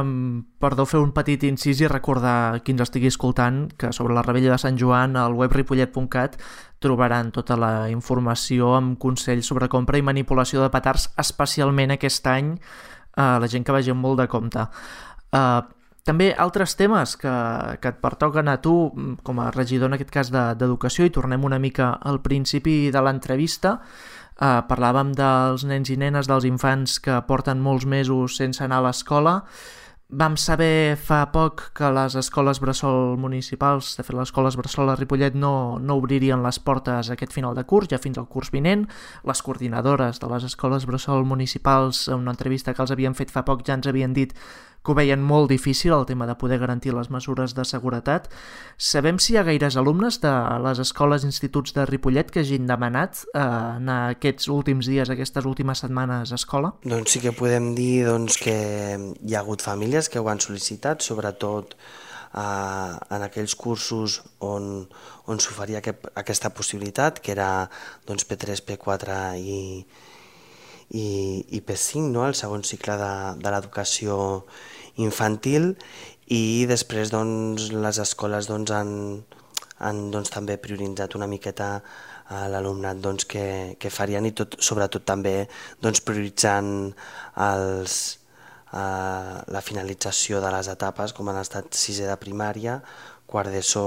perdó, fer un petit incís i recordar qui ens estigui escoltant que sobre la Rebella de Sant Joan al web ripollet punt cat trobaran tota la informació amb consells sobre compra i manipulació de petards, especialment aquest any, uh, la gent que vagi amb molt de compte. Uh, també altres temes que, que et pertoquen a tu, com a regidor en aquest cas d'Educació, i tornem una mica al principi de l'entrevista. Uh, parlàvem dels nens i nenes, dels infants que porten molts mesos sense anar a l'escola. Vam saber fa poc que les escoles bressol municipals, de fet les escoles bressol a Ripollet, no, no obririen les portes aquest final de curs, ja fins al curs vinent. Les coordinadores de les escoles bressol municipals, en una entrevista que els havien fet fa poc, ja ens havien dit que ho veien molt difícil, el tema de poder garantir les mesures de seguretat. Sabem si hi ha gaires alumnes de les escoles i instituts de Ripollet que hagin demanat eh, anar aquests últims dies, aquestes últimes setmanes a escola? Doncs sí que podem dir doncs, que hi ha hagut famílies que ho han sol·licitat, sobretot eh, en aquells cursos on, on s'oferia aquest, aquesta possibilitat, que era doncs, P tres, P quatre i, i, i P cinc, no? El segon cicle de, de l'educació infantil, i després doncs, les escoles doncs, han, han doncs, també prioritzat una miqueta a l'alumnat doncs, que, que farien, i tot, sobretot també doncs, prioritzant els, eh, la finalització de les etapes, com han estat sisè de primària, quart d'ESO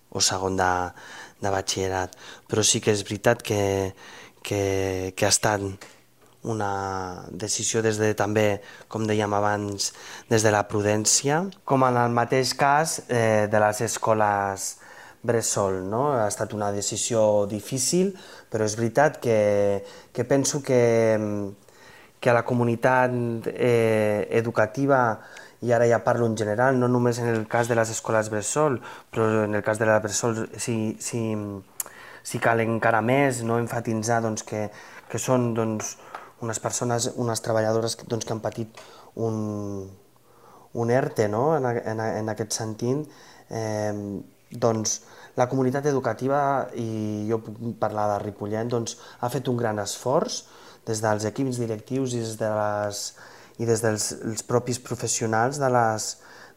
o segon de, de batxillerat. Però sí que és veritat que, que, que ha estat una decisió des de, també, com dèiem abans, des de la prudència, com en el mateix cas eh, de les escoles bressol, no? Ha estat una decisió difícil, però és veritat que, que penso que, que a la comunitat eh, educativa, i ara ja parlo en general, no només en el cas de les escoles bressol, però en el cas de la bressol sí, sí, sí cal encara més, no? Enfatitzar doncs, que, que són doncs, unes persones, unes treballadores doncs, que han patit un, un ERTE, no? en, en, en aquest sentit. Eh, doncs, la comunitat educativa, i jo puc parlar de Ripollet, doncs, ha fet un gran esforç des dels equips directius i des, de les, i des dels els propis professionals de les,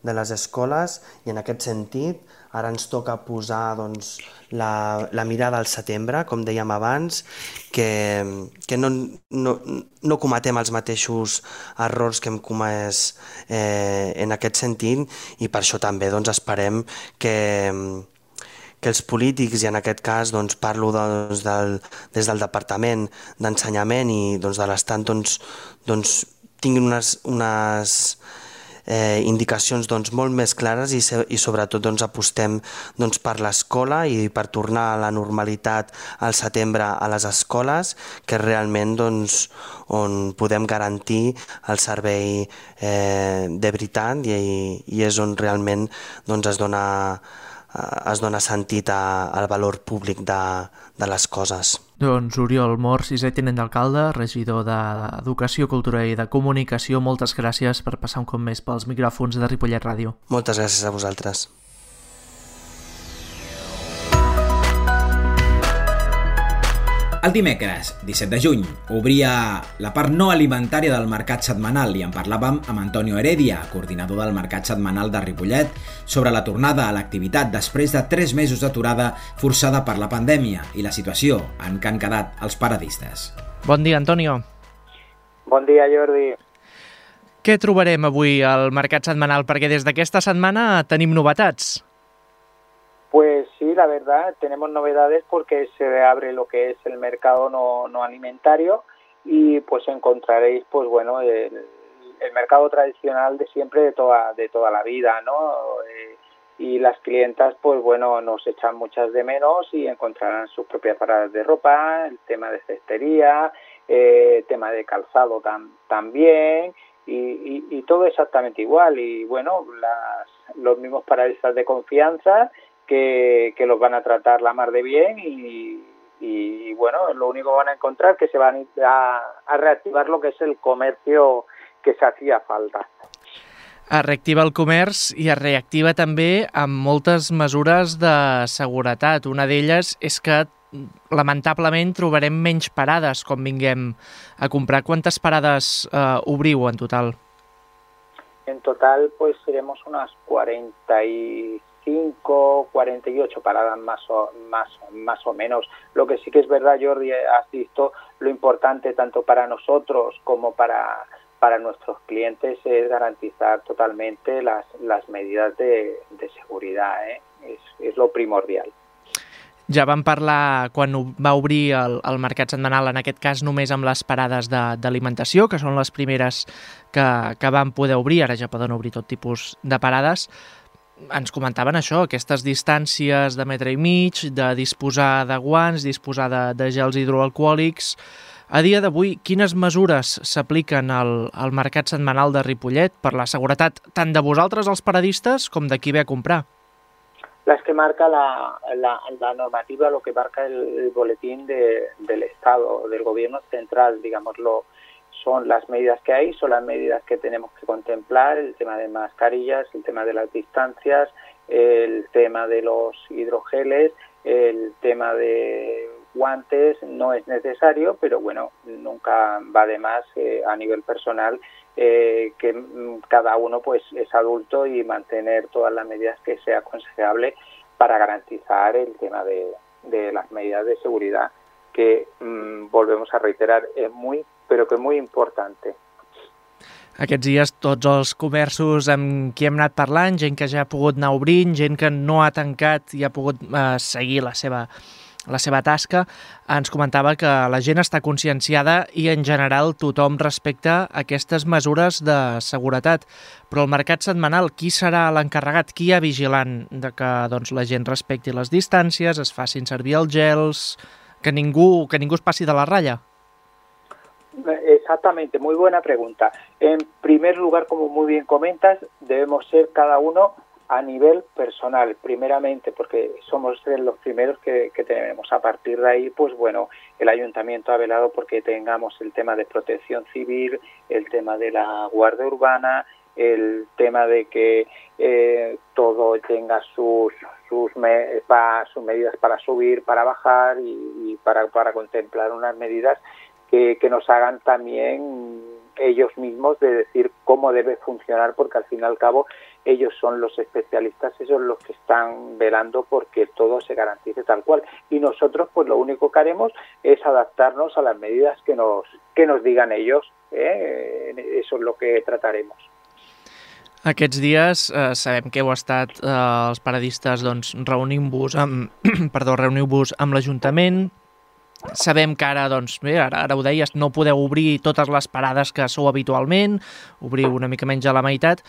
de les escoles, i en aquest sentit ara ens toca posar doncs, la, la mirada al setembre, com dèiem abans, que, que no, no, no cometem els mateixos errors que hem comès eh, en aquest sentit, i per això també doncs, esperem que, que els polítics, i en aquest cas doncs, parlo doncs, del, des del Departament d'Ensenyament i doncs, de l'Estat, doncs, doncs, tinguin unes, unes Eh, indicacions doncs, molt més clares, i, i sobretot doncs, apostem doncs, per l'escola i per tornar a la normalitat al setembre a les escoles, que és realment doncs, on podem garantir el servei eh, de veritat, i, i és on realment doncs, es dona, es dona sentit a, al valor públic de, de les coses. Doncs Oriol Mor, sisè tinent d'alcalde, regidor d'Educació, Cultura i de Comunicació, moltes gràcies per passar un cop més pels micròfons de Ripollet Ràdio. Moltes gràcies a vosaltres. El dimecres, disset de juny, obria la part no alimentària del mercat setmanal, i en parlàvem amb Antonio Heredia, coordinador del mercat setmanal de Ripollet, sobre la tornada a l'activitat després de tres mesos d'aturada forçada per la pandèmia i la situació en què han quedat els paradistes. Bon dia, Antonio. Bon dia, Jordi. Què trobarem avui al mercat setmanal? Perquè des d'aquesta setmana tenim novetats. Pues sí, la verdad, tenemos novedades porque se abre lo que es el mercado no, no alimentario, y pues encontraréis pues bueno el, el mercado tradicional de siempre, de toda, de toda la vida, ¿no? Eh, y las clientas pues bueno nos echan muchas de menos y encontrarán sus propias paradas de ropa, el tema de cestería, eh, tema de calzado tam, también y, y, y todo exactamente igual. Y bueno, las, los mismos paradistas de confianza que, que los van a tratar la mar de bien y, y bueno, lo único que van a encontrar que se van a, a reactivar lo que es el comercio que se hacía falta. Es reactiva el comerç i es reactiva també amb moltes mesures de seguretat. Una d'elles és que lamentablement trobarem menys parades quan vinguem a comprar. Quantes parades eh, obriu en total? En total pues seremos unas cuarenta y cinco, cuarenta y ocho paradas más o, más, más o menos. Lo que sí que es verdad, Jordi, has visto lo importante tanto para nosotros como para... para nuestros clientes es garantizar totalmente las, las medidas de, de seguridad, ¿eh? És, és lo primordial. Ja vam parlar quan va obrir el, el mercat setmanal, en aquest cas només amb les parades d'alimentació, que són les primeres que, que van poder obrir, ara ja poden obrir tot tipus de parades. Ens comentaven això, aquestes distàncies de metre i mig, de disposar de guants, disposar de, de gels hidroalcohòlics. A dia d'avui, quines mesures s'apliquen al, al mercat setmanal de Ripollet per la seguretat tant de vosaltres, els paradistes, com de qui ve a comprar? Las que marca la, la, la normativa, lo que marca el, el boletín de, del Estado, del Gobierno central, digámoslo, son las medidas que hay, son las medidas que tenemos que contemplar, el tema de mascarillas, el tema de las distancias, el tema de los hidrogeles, el tema de guantes no es necesario, pero bueno, nunca va de más eh, a nivel personal eh, que cada uno pues es adulto y mantener todas las medidas que sea aconsejable para garantizar el tema de, de las medidas de seguridad que mmm, volvemos a reiterar, es muy, pero que muy importante. Aquests dies tots els comerços amb qui hem anat parlant, gent que ja ha pogut anar obrint, gent que no ha tancat i ha pogut eh, seguir la seva la seva tasca, ens comentava que la gent està conscienciada i en general tothom respecta aquestes mesures de seguretat. Però el mercat setmanal, qui serà l'encarregat? Qui hi ha vigilant de que doncs, la gent respecti les distàncies, es facin servir els gels, que ningú, que ningú es passi de la ratlla? Exactamente, muy buena pregunta. En primer lugar, como muy bien comentas, debemos ser cada uno a nivel personal, primeramente, porque somos los primeros que, que tenemos. A partir de ahí, pues bueno, el ayuntamiento ha velado porque tengamos el tema de protección civil, el tema de la guardia urbana, el tema de que eh, todo tenga sus sus, me, pa, sus medidas para subir, para bajar y, y para, para contemplar unas medidas que, que nos hagan también ellos mismos de decir cómo debe funcionar, porque al fin y al cabo ellos son los especialistas, ellos son los que están velando porque todo se garantice tal cual. Y nosotros pues lo único que haremos es adaptarnos a las medidas que nos, que nos digan ellos, ¿eh? Eso es lo que trataremos. Aquests dies eh, sabem que heu estat eh, els paradistes doncs, reunint-vos amb, perdó, reuniu-vos amb l'Ajuntament. Sabem que ara, doncs, bé, ara, ara ho deies, no podeu obrir totes les parades que sou habitualment, obriu una mica menys a la meitat.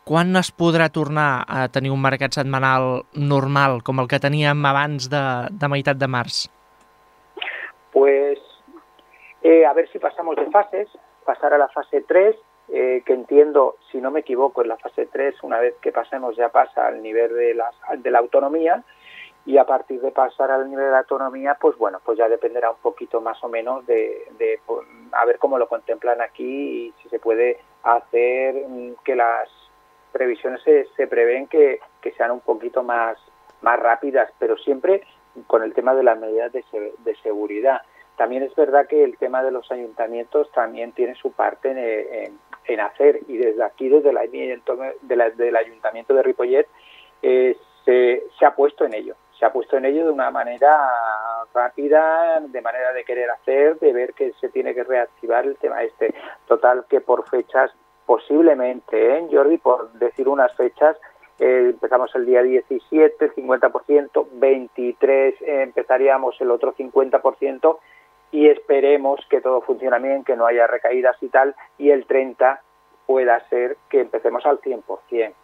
Quan es podrà tornar a tenir un mercat setmanal normal, com el que teníem abans de, de meitat de març? Pues eh, a ver si pasamos de fases, pasar a la fase tres, eh, que entiendo, si no me equivoco, en la fase tres, una vez que pasemos ya pasa al nivel de la, de la autonomía, y a partir de pasar al nivel de la autonomía, pues bueno, pues ya dependerá un poquito más o menos de, de pues, a ver cómo lo contemplan aquí y si se puede hacer que las previsiones se, se prevén que, que sean un poquito más, más rápidas, pero siempre con el tema de las medidas de, de seguridad. También es verdad que el tema de los ayuntamientos también tiene su parte en, en, en hacer, y desde aquí, desde el, de la, del Ayuntamiento de Ripollet, eh, se, se ha puesto en ello. Se ha puesto en ello de una manera rápida, de manera de querer hacer, de ver que se tiene que reactivar el tema este. Total, que por fechas, posiblemente, ¿eh, Jordi? Por decir unas fechas, eh, empezamos el día diecisiete, cincuenta por ciento, veintitrés eh, empezaríamos el otro cincuenta por ciento, y esperemos que todo funcione bien, que no haya recaídas y tal, y el treinta pueda ser que empecemos al cien por cent.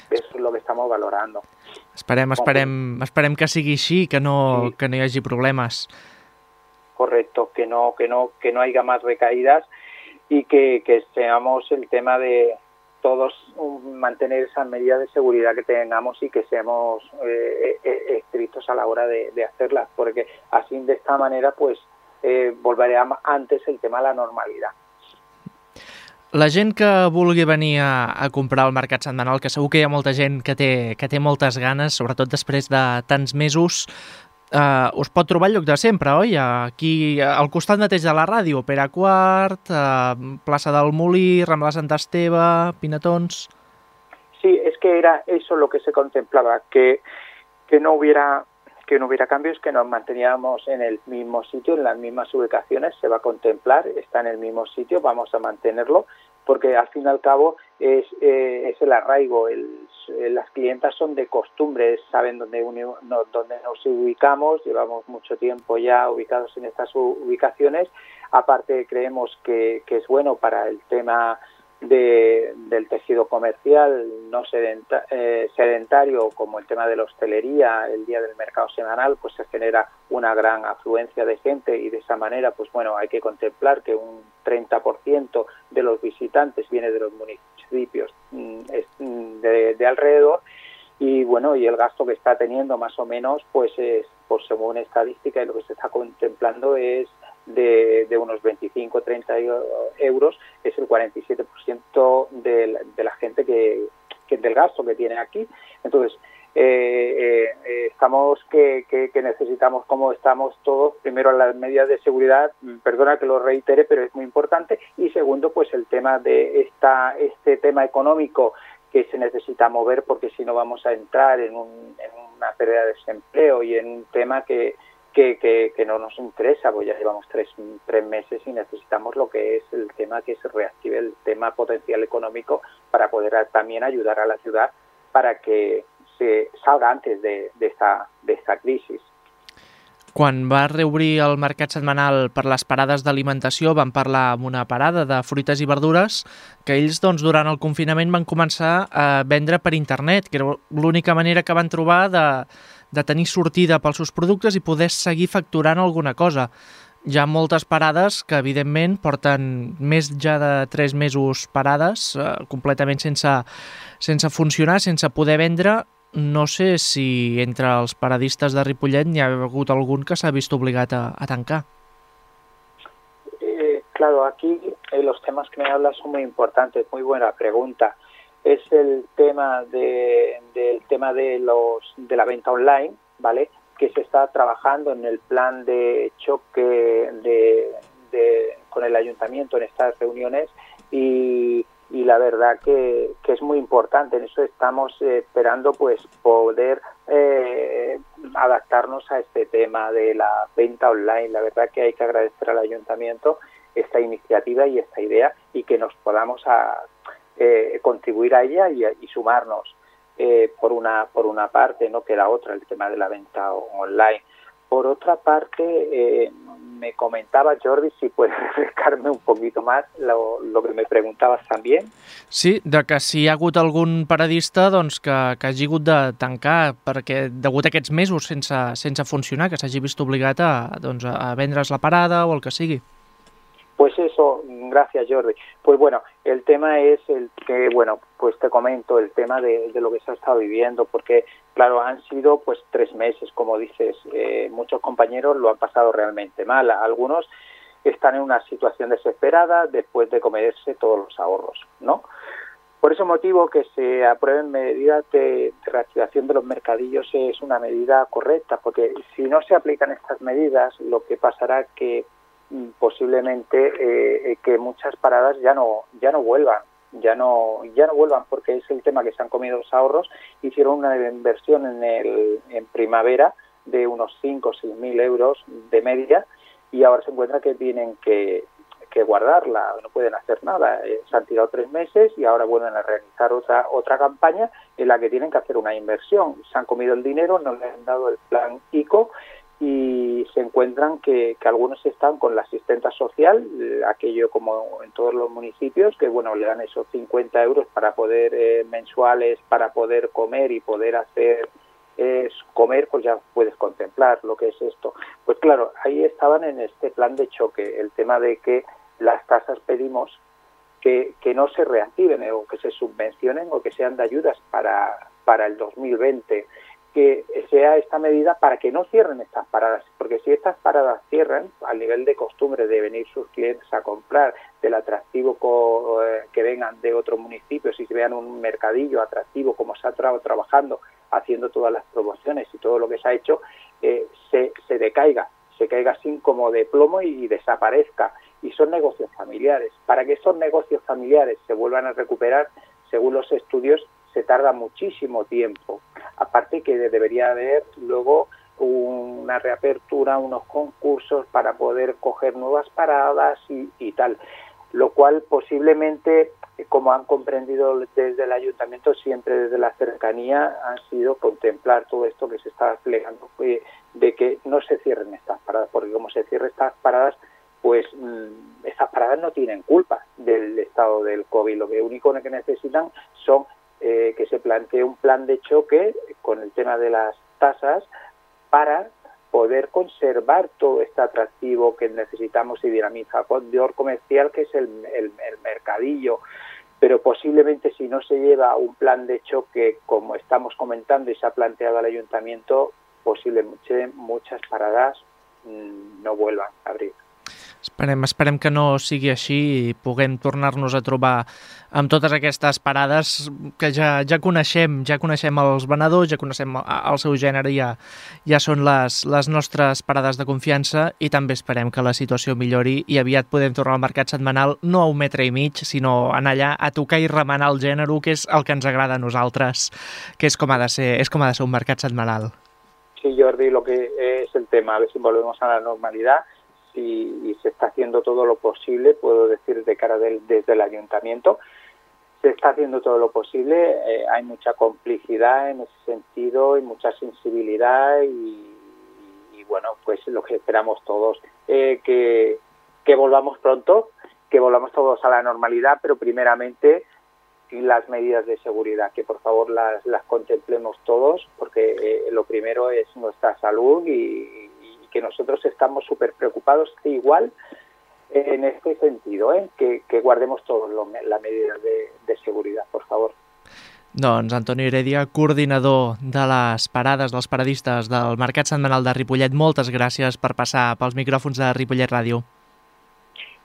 Eso és el que estem valorant. Esperem, esperem, esperem que sigui així, que no, sí. que no hi hagi problemes. Correcto, que no, que no, que no haya más recaídas y que, que seamos el tema de todos mantener esas medidas de seguridad que tengamos y que seamos eh, eh, estrictos a la hora de, de hacerlas, porque así de esta manera pues eh, volverá antes el tema de la normalidad. La gent que vulgui venir a, a comprar al mercat setmanal, que segur que hi ha molta gent que té, que té moltes ganes, sobretot després de tants mesos, eh, us pot trobar el lloc de sempre, oi? Aquí, al costat mateix de la ràdio, Pere Quart, eh, plaça del Molí, Rambla Sant Esteve, Pinatons... Sí, es que era eso lo que se contemplaba, que, que no hubiera... que no hubiera cambios, que nos manteníamos en el mismo sitio, en las mismas ubicaciones, se va a contemplar, está en el mismo sitio, vamos a mantenerlo, porque al fin y al cabo es, eh, es el arraigo, el, las clientas son de costumbre, saben dónde, uno, no, dónde nos ubicamos, llevamos mucho tiempo ya ubicados en estas ubicaciones, aparte creemos que, que es bueno para el tema de, del tejido comercial no sedenta, eh, sedentario, como el tema de la hostelería, el día del mercado semanal, pues se genera una gran afluencia de gente y de esa manera, pues bueno, hay que contemplar que un treinta por ciento de los visitantes viene de los municipios de, de alrededor y bueno, y el gasto que está teniendo más o menos, pues es, pues según estadística y lo que se está contemplando es De, de unos veinticinco a treinta euros, es el cuarenta y siete por ciento de la, de la gente que, que del gasto que tiene aquí. Entonces, eh, eh, estamos que, que, que necesitamos, como estamos todos, primero las medidas de seguridad, perdona que lo reitere, pero es muy importante, y segundo, pues el tema de esta este tema económico que se necesita mover, porque si no vamos a entrar en, un, en una pérdida de desempleo y en un tema que Que, que, que no nos interesa, pues ya llevamos tres, tres meses y necesitamos lo que es el tema que se reactive el tema potencial económico para poder también ayudar a la ciudad para que se salga antes de, de, esta, de esta crisis. Quan va reobrir el mercat setmanal per les parades d'alimentació, van parlar amb una parada de fruites i verdures que ells, doncs, durant el confinament van començar a vendre per internet, que era l'única manera que van trobar de, de tenir sortida pels seus productes i poder seguir facturant alguna cosa. Hi ha moltes parades que, evidentment, porten més ja de tres mesos parades, eh, completament sense, sense funcionar, sense poder vendre. No sé si entre els paradistes de Ripollet n'hi ha hagut algun que s'ha vist obligat a, a tancar. Eh, claro, aquí eh, los temas que me hablas son muy importantes, muy buena pregunta. Es el tema de del tema de los de la venta online, ¿vale? Que se está trabajando en el plan de choque de, de con el ayuntamiento en estas reuniones y y la verdad que, que es muy importante. En eso estamos eh, esperando pues poder eh, adaptarnos a este tema de la venta online. La verdad que hay que agradecer al ayuntamiento esta iniciativa y esta idea y que nos podamos a, eh, contribuir a ella y, y sumarnos eh, por una por una parte, no que la otra, el tema de la venta online. Por otra parte, eh, me comentaba, Jordi, si puedes refrescarme un poquito más lo, lo que me preguntabas también. Sí, de que si hi ha hagut algun paradista doncs, que, que hagi hagut de tancar perquè degut a aquests mesos sense, sense funcionar, que s'hagi vist obligat a, doncs, a vendre's la parada o el que sigui. Pues eso, gracias Jordi. Pues bueno, el tema es el que, bueno, pues te comento el tema de, de lo que se ha estado viviendo, porque claro, han sido pues tres meses, como dices, eh, muchos compañeros lo han pasado realmente mal, algunos están en una situación desesperada después de comerse todos los ahorros, ¿no? Por ese motivo que se aprueben medidas de, de reactivación de los mercadillos es una medida correcta, porque si no se aplican estas medidas, lo que pasará es que posiblemente eh, que muchas paradas ya no ya no vuelvan ya no ya no vuelvan porque es el tema que se han comido los ahorros. Hicieron una inversión en el en primavera de unos cinco o seis mil euros de media y ahora se encuentra que tienen que, que guardarla, no pueden hacer nada. Eh, se han tirado tres meses y ahora vuelven a realizar otra otra campaña en la que tienen que hacer una inversión. Se han comido el dinero, no le han dado el plan ICO y se encuentran que, que algunos están con la asistenta social, aquello como en todos los municipios, que bueno, le dan esos cincuenta euros para poder, eh, mensuales, para poder comer y poder hacer es comer, pues ya puedes contemplar lo que es esto. Pues claro, ahí estaban en este plan de choque, el tema de que las tasas pedimos que, que no se reactiven o que se subvencionen o que sean de ayudas para, para el dos mil veinte, que sea esta medida para que no cierren estas paradas, porque si estas paradas cierran, al nivel de costumbre de venir sus clientes a comprar, del atractivo co, eh, que vengan de otro municipio, si se vean un mercadillo atractivo como se ha tra trabajando, haciendo todas las promociones y todo lo que se ha hecho, eh, se, se decaiga, se caiga así como de plomo y, y desaparezca. Y son negocios familiares. Para que esos negocios familiares se vuelvan a recuperar, según los estudios, se tarda muchísimo tiempo. Aparte que debería haber luego una reapertura, unos concursos para poder coger nuevas paradas y, y tal. Lo cual posiblemente, como han comprendido desde el ayuntamiento, siempre desde la cercanía, han sido contemplar todo esto que se está desplegando, eh, de que no se cierren estas paradas, porque como se cierren estas paradas, pues mmm, estas paradas no tienen culpa del estado del COVID. Lo que único que necesitan son eh, que se plantee un plan de choque con el tema de las tasas para poder conservar todo este atractivo que necesitamos y dinamizador comercial que es el, el, el mercadillo. Pero posiblemente si no se lleva un plan de choque como estamos comentando y se ha planteado al ayuntamiento, posiblemente muchas paradas mmm, no vuelvan a abrir. Esperem, esperem que no sigui així i puguem tornar-nos a trobar amb totes aquestes parades que ja, ja coneixem, ja coneixem els venedors, ja coneixem el seu gènere, ja, ja són les, les nostres parades de confiança i també esperem que la situació millori i aviat podem tornar al mercat setmanal, no a un metre i mig, sinó anar allà a tocar i remenar el gènere, que és el que ens agrada a nosaltres, que és com ha de ser, és com ha de ser un mercat setmanal. Sí, Jordi, lo que es el tema, a ver si volvemos a la normalidad. Y, y se está haciendo todo lo posible, puedo decir de cara del, desde el ayuntamiento, se está haciendo todo lo posible, eh, hay mucha complicidad en ese sentido y mucha sensibilidad y, y bueno, pues lo que esperamos todos, eh, que, que volvamos pronto, que volvamos todos a la normalidad, pero primeramente las medidas de seguridad, que por favor las, las contemplemos todos, porque eh, lo primero es nuestra salud y que nosotros estamos súper preocupados igual en este sentido, ¿eh? que, que guardemos todos las medidas de, de seguridad, por favor. Doncs Antoni Heredia, coordinador de les parades, dels paradistes del Mercat Setmanal de Ripollet, moltes gràcies per passar pels micròfons de Ripollet Ràdio.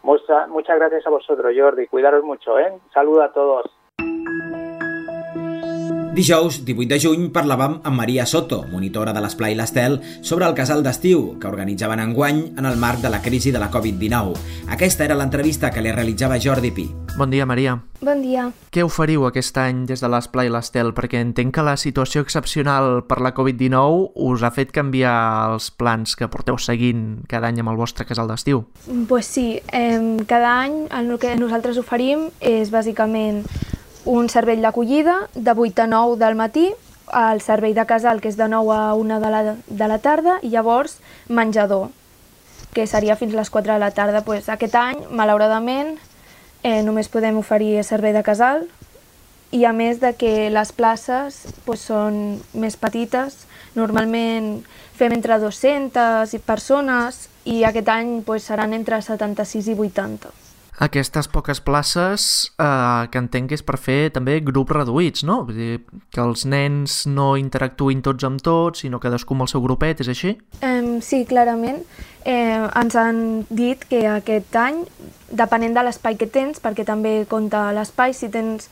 Mucha, muchas gracias a vosotros, Jordi. Cuidaros mucho, ¿eh? Saludo a todos. Dijous, divuit de juny, parlàvem amb Maria Soto, monitora de l'Esplai l'Estel, sobre el casal d'estiu que organitzaven enguany en el marc de la crisi de la covid dinou. Aquesta era l'entrevista que li realitzava Jordi Pi. Bon dia, Maria. Bon dia. Què oferiu aquest any des de l'Esplai l'Estel? Perquè entenc que la situació excepcional per la covid dinou us ha fet canviar els plans que porteu seguint cada any amb el vostre casal d'estiu. Pues sí, eh, cada any el que nosaltres oferim és bàsicament un servei d'acollida de vuit a nou del matí, el servei de casal que és de nou a una de la, de la tarda i llavors menjador, que seria fins a les quatre de la tarda. Pues aquest any, malauradament, eh, només podem oferir servei de casal i a més de que les places pues, són més petites, normalment fem entre dues-centes persones i aquest any pues, seran entre setanta-sis i vuitanta. Aquestes poques places eh, que entenc que és per fer també grups reduïts, no? Vull dir, que els nens no interactuïn tots amb tots, sinó cadascú amb el seu grupet, és així? Eh, sí, clarament. Eh, ens han dit que aquest any, depenent de l'espai que tens, perquè també compta l'espai, si tens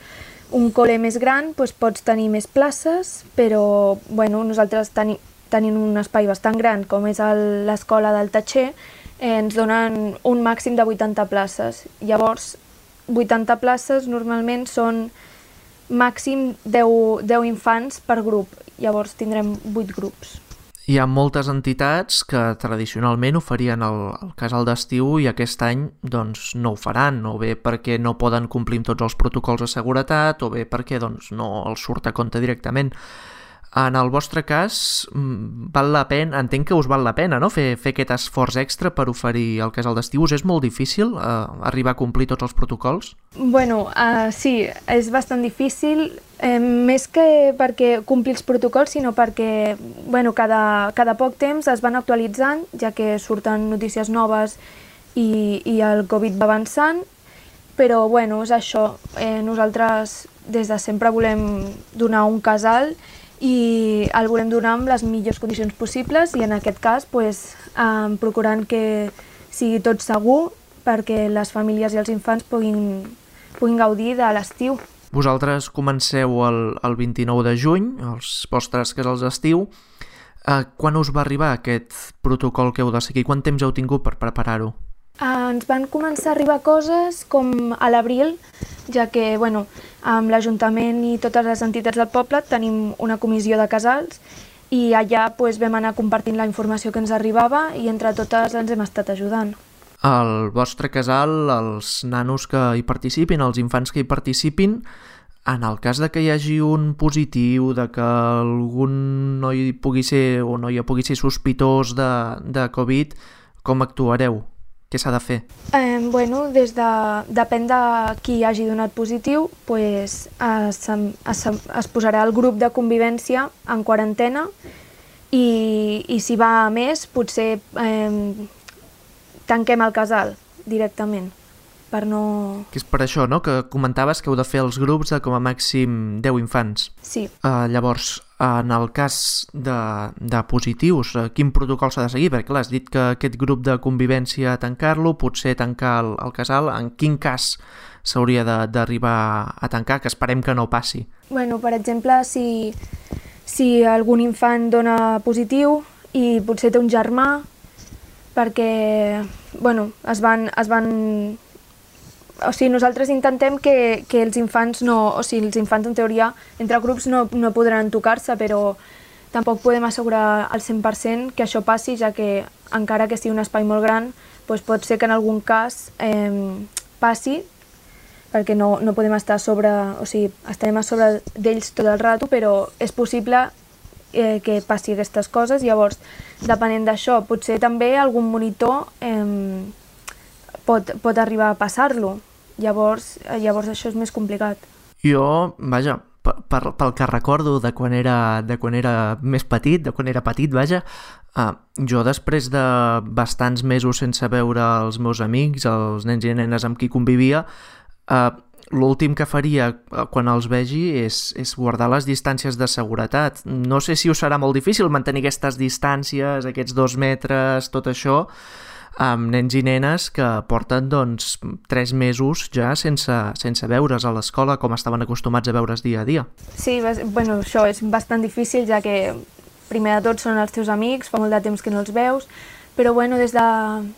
un col·le més gran, doncs pots tenir més places, però bueno, nosaltres teni, tenim un espai bastant gran, com és l'escola del Tatxer, Eh, ens donen un màxim de vuitanta places. Llavors, vuitanta places normalment són màxim deu, deu infants per grup. Llavors tindrem vuit grups. Hi ha moltes entitats que tradicionalment oferien el, el casal d'estiu i aquest any doncs, no ho faran, o bé perquè no poden complir amb tots els protocols de seguretat, o bé perquè doncs, no els surt a compte directament. En el vostre cas, val la pena, entenc que us val la pena, no?, fer, fer aquest esforç extra per oferir el casal d'estiu. Us és molt difícil eh, arribar a complir tots els protocols? Bueno, uh, sí, és bastant difícil, eh, més que perquè complir els protocols, sinó perquè bueno, cada, cada poc temps es van actualitzant, ja que surten notícies noves i, i el Covid va avançant, però bueno, és això. Eh, nosaltres des de sempre volem donar un casal i el volem donar amb les millors condicions possibles i en aquest cas pues, eh, procurant que sigui tot segur perquè les famílies i els infants puguin, puguin gaudir de l'estiu. Vosaltres comenceu el, el vint-i-nou de juny, els vostres casals d'estiu. Eh, quan us va arribar aquest protocol que heu de seguir? Quant temps heu tingut per preparar-ho? Uh, ens van començar a arribar coses com a l'abril, ja que bueno, amb l'Ajuntament i totes les entitats del poble tenim una comissió de casals i allà pues, vam anar compartint la informació que ens arribava i entre totes ens hem estat ajudant. Al vostre casal, els nanos que hi participin, els infants que hi participin, en el cas de que hi hagi un positiu, de que algun noi pugui ser o noia pugui ser sospitós de, de Covid, com actuareu? Què s'ha de fer? Eh, bueno, des de, depèn de qui hagi donat positiu, pues, es, es, es posarà el grup de convivència en quarantena i, i si va a més, potser eh, tanquem el casal directament, per no... Que és per això, no?, que comentaves que heu de fer els grups de com a màxim deu infants. Sí. Uh, llavors, en el cas de, de positius, uh, quin protocol s'ha de seguir? Perquè clar, has dit que aquest grup de convivència tancar-lo, potser tancar el, el casal, en quin cas s'hauria d'arribar a tancar, que esperem que no passi? Bueno, per exemple, si, si algun infant dona positiu i potser té un germà, perquè bueno, es van... Es van O sigui, nosaltres intentem que, que els infants no... O sigui, els infants en teoria entre grups no, no podran tocar-se, però tampoc podem assegurar al cent per cent que això passi, ja que encara que sigui un espai molt gran, doncs pot ser que en algun cas eh, passi, perquè no, no podem estar a sobre... O sigui, estarem a sobre d'ells tot el rato, però és possible eh, que passi aquestes coses. Llavors, depenent d'això, potser també algun monitor eh, pot, pot arribar a passar-lo. Llavors, llavors això és més complicat. Jo, vaja, per, per, pel que recordo de quan era, de quan era més petit, de quan era petit, vaja, uh, jo després de bastants mesos sense veure els meus amics, els nens i nenes amb qui convivia, uh, l'últim que faria quan els vegi és, és guardar les distàncies de seguretat. No sé si us serà molt difícil mantenir aquestes distàncies, aquests dos metres, tot això, amb nens i nenes que porten doncs tres mesos ja sense, sense veure's a l'escola com estaven acostumats a veure's dia a dia. Sí, bueno, això és bastant difícil, ja que primer de tot són els teus amics, fa molt de temps que no els veus, però bueno, des, de,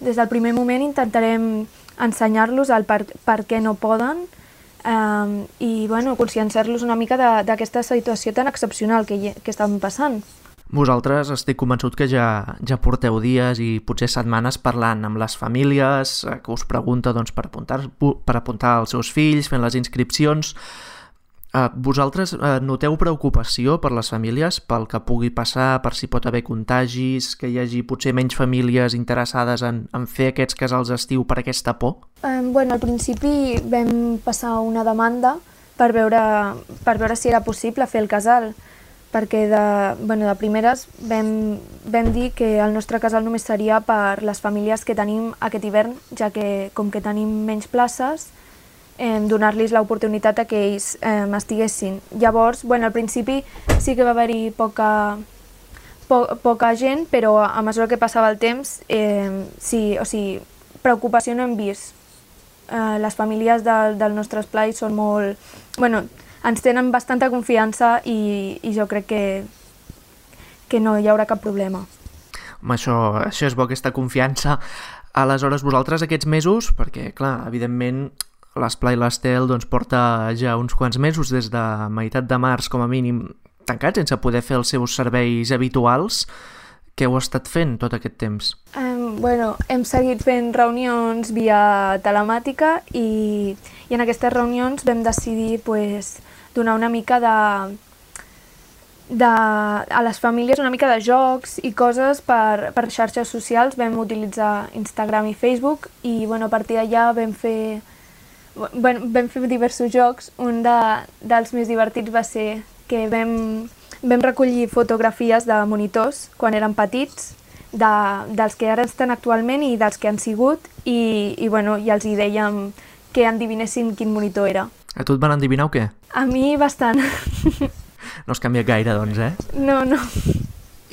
des del primer moment intentarem ensenyar-los el per, per què no poden um, i bueno, conscienciar-los una mica d'aquesta situació tan excepcional que, que estan passant. Vosaltres estic convençut que ja, ja porteu dies i potser setmanes parlant amb les famílies que us pregunta doncs, per, apuntar, per apuntar els seus fills, fent les inscripcions. Eh, vosaltres eh, noteu preocupació per les famílies, pel que pugui passar, per si pot haver contagis, que hi hagi potser menys famílies interessades en, en fer aquests casals d'estiu per aquesta por? Eh, bueno, al principi vam passar una demanda per veure, per veure si era possible fer el casal, perquè de, bueno, de primeres vam, vam dir que el nostre casal només seria per les famílies que tenim aquest hivern, ja que com que tenim menys places, eh, donar-los l'oportunitat a que ells eh, estiguessin. Llavors, bueno, al principi sí que va haver-hi poca, po, poca gent, però a mesura que passava el temps, eh, sí, o sigui, preocupació no hem vist. Eh, les famílies del, del nostre esplai són molt... Bueno, ens tenen bastanta confiança i, i jo crec que, que no hi haurà cap problema. Home, això, això és bo, aquesta confiança. Aleshores, vosaltres aquests mesos, perquè, clar, evidentment, l'Esplai l'Estel doncs, porta ja uns quants mesos, des de meitat de març, com a mínim, tancats, sense poder fer els seus serveis habituals. Què heu estat fent tot aquest temps? Um, bueno, hem seguit fent reunions via telemàtica i, i en aquestes reunions vam decidir pues, donar una mica de, de, a les famílies una mica de jocs i coses per, per xarxes socials. Vam utilitzar Instagram i Facebook i bueno, a partir d'allà vam fer, bueno, vam fer diversos jocs. Un de, dels més divertits va ser que vam, vam recollir fotografies de monitors quan eren petits, de, dels que ara estan actualment i dels que han sigut, i, i, bueno, i els hi dèiem que endivinessin quin monitor era. A tu et van endivinar o què? A mi bastant. No es canvia gaire, doncs, eh? No, no.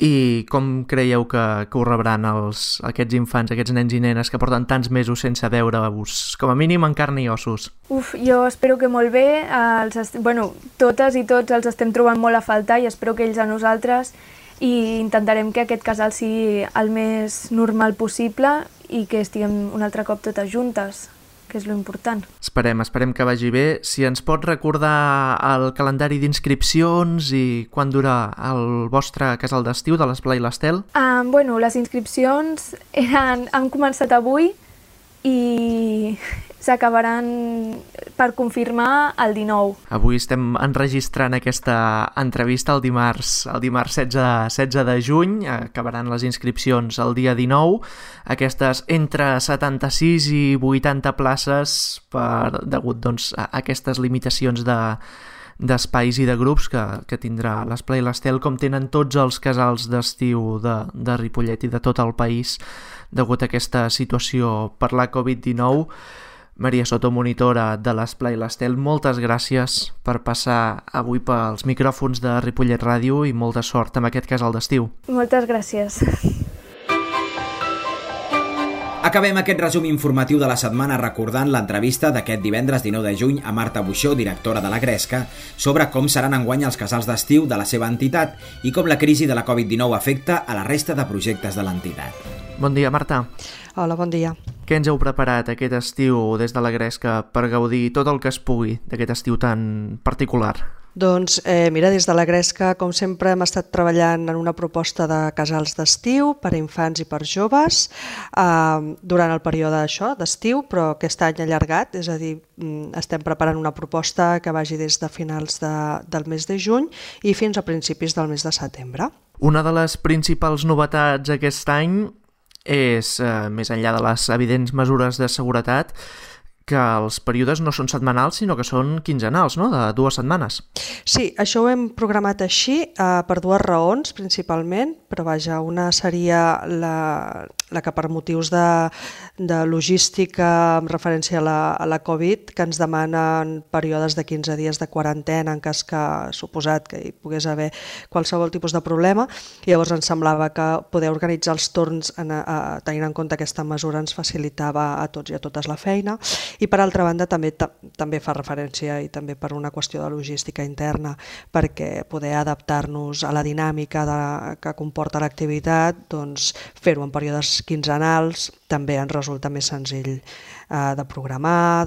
I com creieu que, que ho rebran els, aquests infants, aquests nens i nenes que porten tants mesos sense veure-us, com a mínim en carn i ossos? Uf, jo espero que molt bé. Els est... bueno, totes i tots els estem trobant molt a faltar i espero que ells a nosaltres, i intentarem que aquest casal sigui el més normal possible i que estiguem un altre cop totes juntes, que és lo important. Esperem, esperem que vagi bé. Si ens pot recordar el calendari d'inscripcions i quan dura el vostre casal d'estiu de l'Esplai l'Estel? Uh, bueno, les inscripcions eren, han començat avui i s'acabaran per confirmar el dinou. Avui estem enregistrant aquesta entrevista el dimarts, el dimarts setze, setze de juny, acabaran les inscripcions el dia dinou, aquestes entre setanta-sis i vuitanta places per, degut doncs, a aquestes limitacions de d'espais i de grups que, que tindrà l'Esplai l'Estel, com tenen tots els casals d'estiu de, de Ripollet i de tot el país degut a aquesta situació per la covid dinou. Maria Soto, monitora de l'Esplai l'Estel, moltes gràcies per passar avui pels micròfons de Ripollet Ràdio i molta sort amb aquest casal d'estiu. Moltes gràcies. Acabem aquest resum informatiu de la setmana recordant l'entrevista d'aquest divendres dinou de juny a Marta Buixó, directora de la Gresca, sobre com seran enguany els casals d'estiu de la seva entitat i com la crisi de la covid dinou afecta a la resta de projectes de l'entitat. Bon dia, Marta. Hola, bon dia. Què ens heu preparat aquest estiu des de la Gresca per gaudir tot el que es pugui d'aquest estiu tan particular? Doncs eh, mira, des de la Gresca, com sempre, hem estat treballant en una proposta de casals d'estiu per a infants i per joves eh, durant el període això d'estiu, però aquest any allargat, és a dir, estem preparant una proposta que vagi des de finals de, del mes de juny i fins a principis del mes de setembre. Una de les principals novetats aquest any és, eh, més enllà de les evidents mesures de seguretat, que els períodes no són setmanals, sinó que són quinzenals, no?, de dues setmanes. Sí, això ho hem programat així eh, per dues raons, principalment, però vaja, una seria la, la que per motius de, de logística amb referència a la, a la Covid, que ens demanen períodes de quinze dies de quarantena en cas que suposat que hi pogués haver qualsevol tipus de problema. Llavors ens semblava que poder organitzar els torns en, a, tenint en compte aquesta mesura ens facilitava a tots i a totes la feina. I per altra banda també, també fa referència i també per una qüestió de logística interna, perquè poder adaptar-nos a la dinàmica de, que comporta l'activitat, doncs fer-ho en períodes quinzenals també ens resulta més senzill eh, de programar,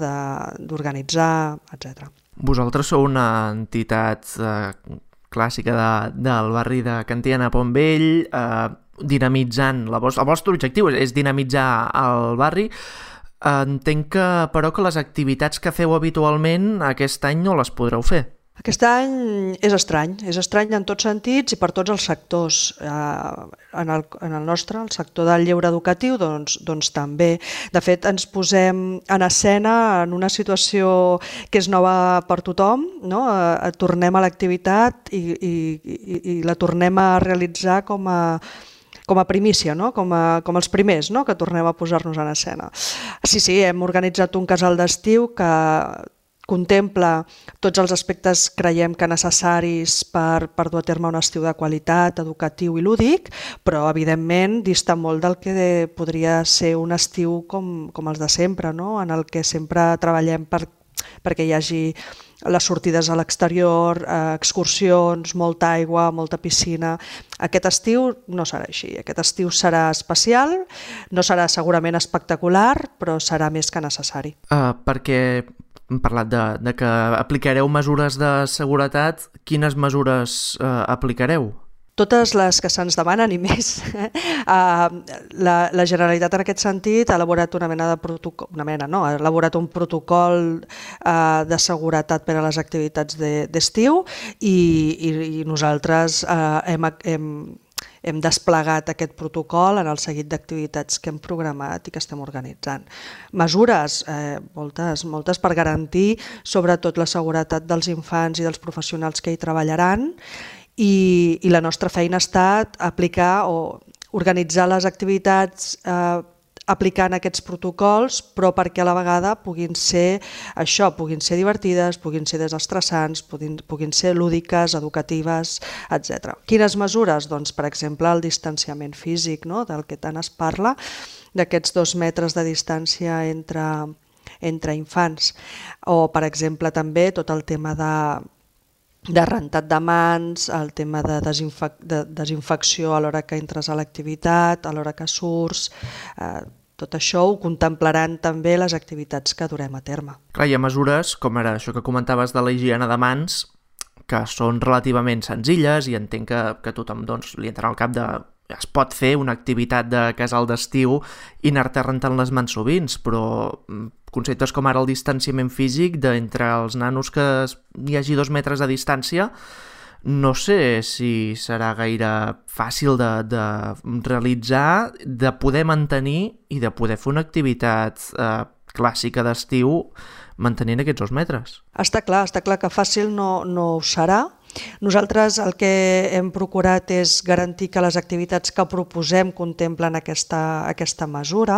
d'organitzar, etcètera. Vosaltres sou una entitat eh, clàssica de, del barri de Can Tiana a Pont Vell, eh, dinamitzant, la vostra, el vostre objectiu és, és dinamitzar el barri. Entenc que, però, que les activitats que feu habitualment aquest any no les podreu fer. Aquest any és estrany, és estrany en tots sentits i per tots els sectors. En el, en el nostre, el sector del lleure educatiu, doncs, doncs també. De fet, ens posem en escena en una situació que és nova per tothom, no? Tornem a l'activitat i, i, i, i la tornem a realitzar com a com a primícia, no? com, a, com els primers, no? Que tornem a posar-nos en escena. Sí, sí, hem organitzat un casal d'estiu que contempla tots els aspectes, creiem que necessaris per, per dur a terme un estiu de qualitat, educatiu i lúdic, però evidentment dista molt del que podria ser un estiu com, com els de sempre, no? En el que sempre treballem per, perquè hi hagi les sortides a l'exterior, eh, excursions, molta aigua, molta piscina. Aquest estiu no serà així. Aquest estiu serà especial, no serà segurament espectacular, però serà més que necessari. Uh, perquè hem parlat de, de que aplicareu mesures de seguretat. Quines mesures uh, aplicareu? totes les que se'ns demanen i més. Uh, la, la Generalitat en aquest sentit ha elaborat una mena de protocol, una mena no, ha elaborat un protocol uh, de seguretat per a les activitats d'estiu de, i, i, i nosaltres uh, hem, hem, hem desplegat aquest protocol en el seguit d'activitats que hem programat i que estem organitzant. Mesures, eh, moltes, moltes per garantir sobretot la seguretat dels infants i dels professionals que hi treballaran. I, i la nostra feina ha estat aplicar o organitzar les activitats eh, aplicant aquests protocols, però perquè a la vegada puguin ser això, puguin ser divertides, puguin ser desestressants, puguin, puguin ser lúdiques, educatives, etcètera. Quines mesures? Doncs, per exemple, el distanciament físic, no? Del que tant es parla, d'aquests dos metres de distància entre, entre infants. O, per exemple, també tot el tema de de rentat de mans, el tema de, desinfec de desinfecció a l'hora que entres a l'activitat, a l'hora que surts, eh, tot això ho contemplaran també les activitats que durem a terme. Clar, hi ha mesures, com ara això que comentaves de la higiene de mans, que són relativament senzilles i entenc que, que tothom doncs, li entrarà al cap de es pot fer una activitat de casal d'estiu i anar-te rentant les mans sovint, però conceptes com ara el distanciament físic d'entre els nanos que hi hagi dos metres de distància, no sé si serà gaire fàcil de, de realitzar, de poder mantenir i de poder fer una activitat eh, clàssica d'estiu mantenint aquests dos metres. Està clar, està clar que fàcil no, no ho serà. Nosaltres el que hem procurat és garantir que les activitats que proposem contemplen aquesta, aquesta mesura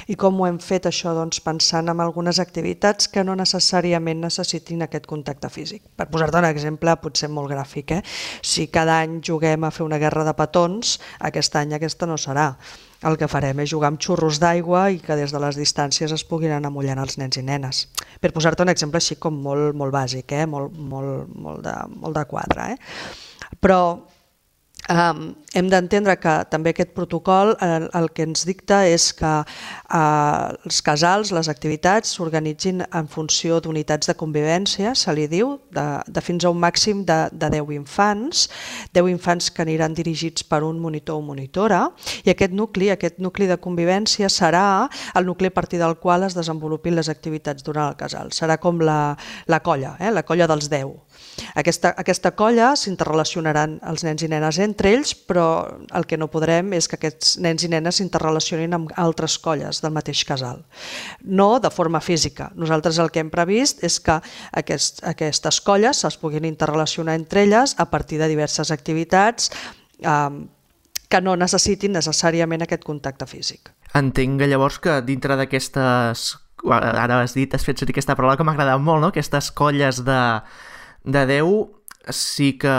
i com ho hem fet això doncs, pensant en algunes activitats que no necessàriament necessitin aquest contacte físic. Per posar-te un exemple potser molt gràfic, eh? Si cada any juguem a fer una guerra de petons, aquest any aquesta no serà. El que farem és jugar amb xurros d'aigua i que des de les distàncies es puguin anar mullant els nens i nenes. Per posar-te un exemple així com molt, molt bàsic, eh? molt, molt, molt, de, molt de quadre. Eh? Però Um, hem d'entendre que també aquest protocol el, el que ens dicta és que uh, els casals, les activitats s'organitzin en funció d'unitats de convivència, se li diu, de, de fins a un màxim de, de deu infants, deu infants que aniran dirigits per un monitor o monitora, i aquest nucli, aquest nucli de convivència serà el nucli a partir del qual es desenvolupin les activitats durant el casal. Serà com la, la colla, eh? La colla dels deu. Aquesta, aquesta colla s'interrelacionaran els nens i nenes entre ells, però el que no podrem és que aquests nens i nenes s'interrelacionin amb altres colles del mateix casal. No de forma física. Nosaltres el que hem previst és que aquest, aquestes colles es puguin interrelacionar entre elles a partir de diverses activitats eh, que no necessitin necessàriament aquest contacte físic. Entenc llavors que dintre d'aquestes, ara has dit, has fet servir aquesta paraula que m'ha agradat molt, no? Aquestes colles de de deu sí que,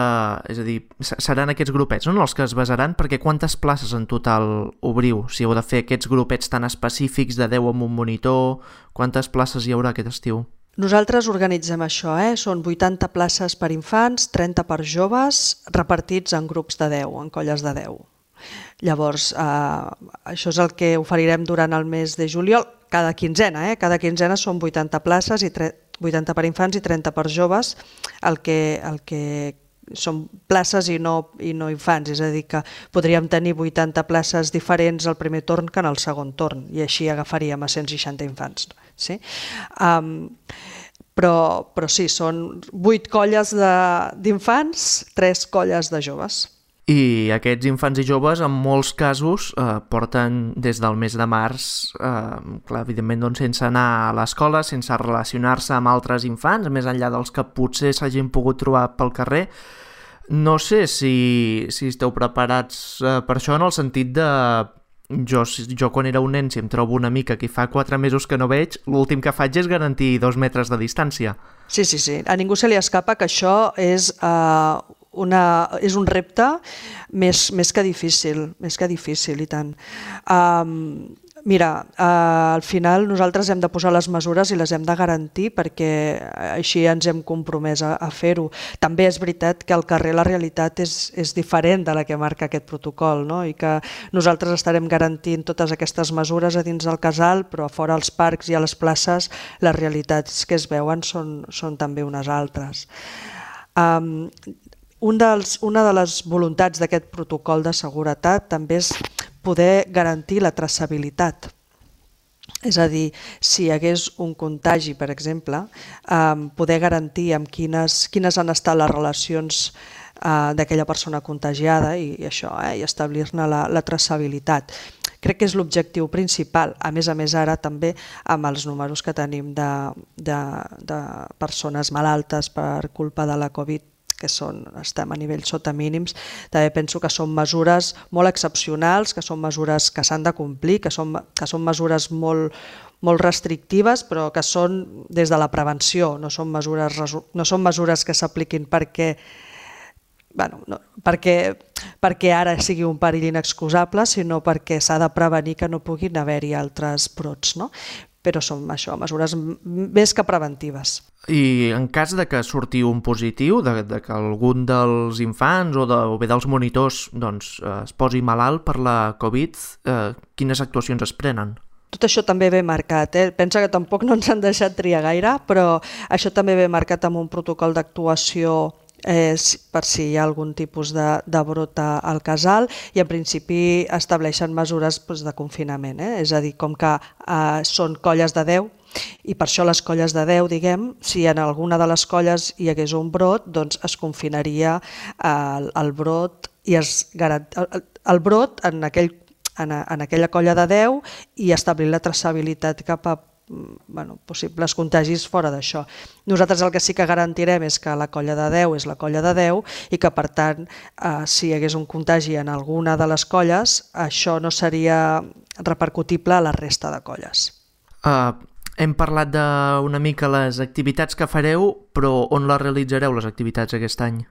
és a dir, seran aquests grupets, no? Els que es basaran, perquè quantes places en total obriu? Si heu de fer aquests grupets tan específics de deu amb un monitor, quantes places hi haurà aquest estiu? Nosaltres organitzem això, eh? Són vuitanta places per infants, trenta per joves, repartits en grups de deu, en colles de deu. Llavors, eh, això és el que oferirem durant el mes de juliol, cada quinzena, eh? Cada quinzena són vuitanta places i vuitanta per infants i trenta per joves, el que, el que són places i no, i no infants, és a dir que podríem tenir vuitanta places diferents al primer torn que en el segon torn i així agafaríem a cent seixanta infants. Sí? Um, però, però sí, són vuit colles d'infants, tres colles de joves. I aquests infants i joves, en molts casos, eh, porten des del mes de març, eh, clar, evidentment doncs, sense anar a l'escola, sense relacionar-se amb altres infants, més enllà dels que potser s'hagin pogut trobar pel carrer. No sé si, si esteu preparats eh, per això, en el sentit de... Jo, jo quan era un nen, si em trobo una mica que fa quatre mesos que no veig, l'últim que faig és garantir dos metres de distància. Sí, sí, sí. A ningú se li escapa que això és... Eh... Una, és un repte més, més que difícil, més que difícil i tant. Um, mira, uh, al final nosaltres hem de posar les mesures i les hem de garantir perquè així ens hem compromès a, a fer-ho. També és veritat que al carrer la realitat és, és diferent de la que marca aquest protocol, no? I que nosaltres estarem garantint totes aquestes mesures a dins del casal, però a fora als parcs i a les places les realitats que es veuen són, són també unes altres. Um, un dels, una de les voluntats d'aquest protocol de seguretat també és poder garantir la traçabilitat. És a dir, si hi hagués un contagi, per exemple, eh, poder garantir amb quines, quines han estat les relacions eh, d'aquella persona contagiada i, i això, eh, i establir-ne la, la traçabilitat. Crec que és l'objectiu principal, a més a més ara també amb els números que tenim de, de, de persones malaltes per culpa de la Covid, que són, estem a nivell sota mínims, també penso que són mesures molt excepcionals, que són mesures que s'han de complir, que són, que són mesures molt, molt restrictives, però que són des de la prevenció, no són mesures, no són mesures que s'apliquin perquè Bueno, no, perquè, perquè ara sigui un perill inexcusable, sinó perquè s'ha de prevenir que no puguin haver-hi altres brots, no? Però són això, mesures més que preventives. I en cas de que surti un positiu, de, de que algun dels infants o, de, o bé dels monitors doncs, es posi malalt per la Covid, eh, quines actuacions es prenen? Tot això també ve marcat, eh? Pensa que tampoc no ens han deixat triar gaire, però això també ve marcat amb un protocol d'actuació Eh, per si hi ha algun tipus de, de brot al casal i en principi estableixen mesures doncs, de confinament, eh? És a dir, com que eh, són colles de deu i per això les colles de deu, diguem, si en alguna de les colles hi hagués un brot, doncs es confinaria el, el brot i es garant... el, el brot en, aquell, en, en aquella colla de deu i establir la traçabilitat cap a Bueno, possibles contagis fora d'això. Nosaltres el que sí que garantirem és que la colla de deu és la colla de deu i que per tant eh, si hi hagués un contagi en alguna de les colles això no seria repercutible a la resta de colles. Uh, hem parlat d'una mica les activitats que fareu, però on les realitzareu les activitats aquest any?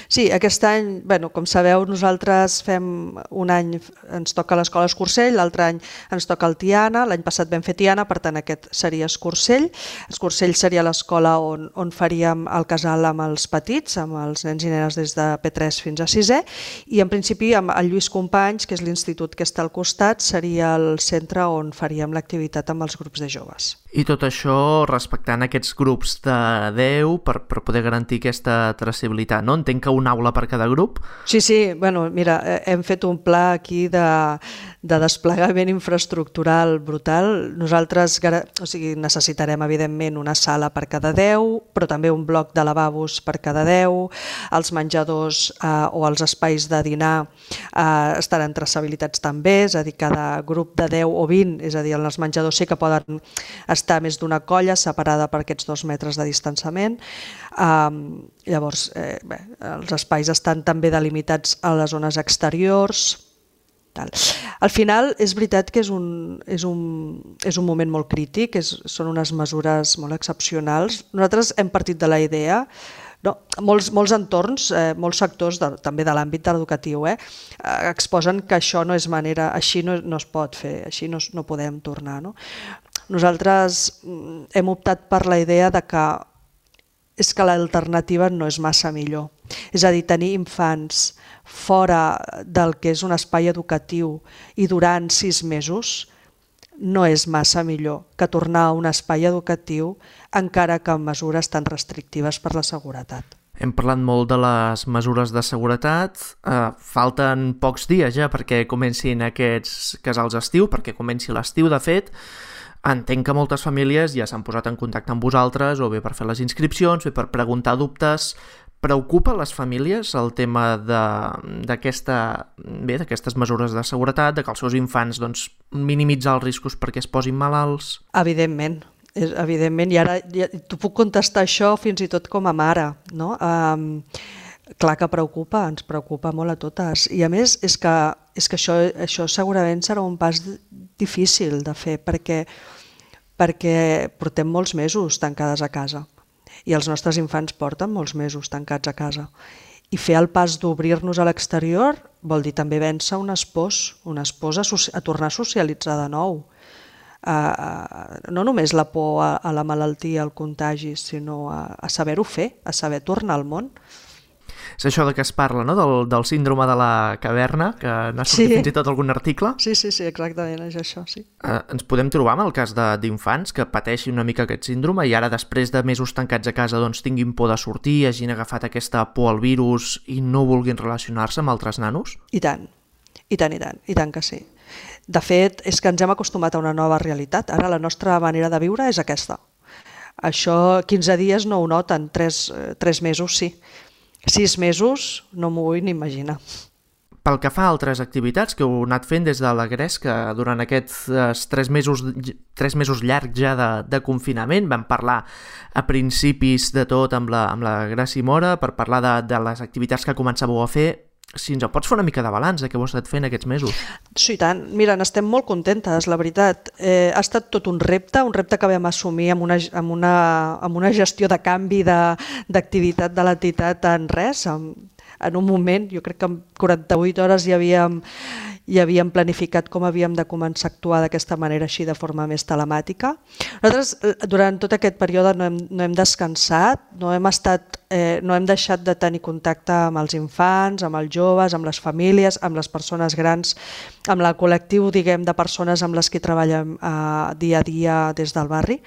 Sí, aquest any, bueno, com sabeu, nosaltres fem un any, ens toca l'Escola Escursell, l'altre any ens toca el Tiana, l'any passat vam fer Tiana, per tant aquest seria Escursell. Escursell seria l'escola on, on faríem el casal amb els petits, amb els nens i nenes des de P tres fins a sisè, i en principi amb el Lluís Companys, que és l'institut que està al costat, seria el centre on faríem l'activitat amb els grups de joves. I tot això respectant aquests grups de deu per, per poder garantir aquesta traçabilitat, no? Entenc que una aula per cada grup? Sí, sí, bueno, mira, hem fet un pla aquí de, de desplegament infraestructural brutal. Nosaltres o sigui, necessitarem, evidentment, una sala per cada deu, però també un bloc de lavabos per cada deu, els menjadors eh, o els espais de dinar eh, estaran traçabilitats també, és a dir, cada grup de deu o vint, és a dir, els menjadors sí que poden estar més d'una colla separada per aquests dos metres de distanciament. Um, llavors, eh, bé, els espais estan també delimitats a les zones exteriors. Tal. Al final, és veritat que és un, és un, és un moment molt crític, és, són unes mesures molt excepcionals. Nosaltres hem partit de la idea, no, molts, molts entorns, eh, molts sectors de, també de l'àmbit educatiu eh, exposen que això no és manera, així no, no es pot fer, així no, no podem tornar. No? Nosaltres hem optat per la idea de que és que l'alternativa no és massa millor. És a dir, tenir infants fora del que és un espai educatiu i durant sis mesos no és massa millor que tornar a un espai educatiu encara que amb mesures tan restrictives per la seguretat. Hem parlat molt de les mesures de seguretat, eh, falten pocs dies ja perquè comencin aquests casals d'estiu, perquè comenci l'estiu de fet. Entenc que moltes famílies ja s'han posat en contacte amb vosaltres, o bé per fer les inscripcions, bé per preguntar dubtes. Preocupa a les famílies el tema d'aquesta, bé, d'aquestes mesures de seguretat, de que els seus infants doncs, minimitzar els riscos perquè es posin malalts? Evidentment, és, evidentment, i ara ja, t'ho puc contestar això fins i tot com a mare, no? Um, clar que preocupa, ens preocupa molt a totes, i a més és que, és que això, això segurament serà un pas difícil de fer, perquè perquè portem molts mesos tancades a casa i els nostres infants porten molts mesos tancats a casa. I fer el pas d'obrir-nos a l'exterior vol dir també vèncer unes pors, unes pors a, a tornar a socialitzar de nou. Uh, no només la por a, a la malaltia, al contagi, sinó a, a saber-ho fer, a saber tornar al món. És això de què es parla, no? Del, del síndrome de la caverna, que n'ha sortit sí. fins i tot algun article. Sí, sí, sí, exactament, és això, sí. Eh, ens podem trobar amb el cas d'infants que pateixin una mica aquest síndrome i ara, després de mesos tancats a casa, doncs tinguin por de sortir, hagin agafat aquesta por al virus i no vulguin relacionar-se amb altres nanos? I tant, i tant, i tant, i tant que sí. De fet, és que ens hem acostumat a una nova realitat. Ara la nostra manera de viure és aquesta. Això quinze dies no ho noten, tres, tres mesos sí. sis mesos no m'ho vull ni imaginar. Pel que fa a altres activitats que heu anat fent des de la Gresca durant aquests tres mesos, tres mesos llargs ja de, de confinament, vam parlar a principis de tot amb la, amb la Gràcia Mora per parlar de, de les activitats que començàveu a fer. Si ens pots fer una mica de balanç de què heu estat fent aquests mesos. Sí, tant. Mira, n'estem molt contentes, la veritat. Eh, ha estat tot un repte, un repte que vam assumir amb una, amb una, amb una gestió de canvi d'activitat de, de l'entitat en res. En, en un moment, jo crec que en quaranta-vuit hores ja havíem, ja havíem planificat com havíem de començar a actuar d'aquesta manera, així de forma més telemàtica. Nosaltres, durant tot aquest període no hem, no hem descansat, no hem, estat, eh, no hem deixat de tenir contacte amb els infants, amb els joves, amb les famílies, amb les persones grans, amb el col·lectiu, diguem, de persones amb les que treballem eh, dia a dia des del barri.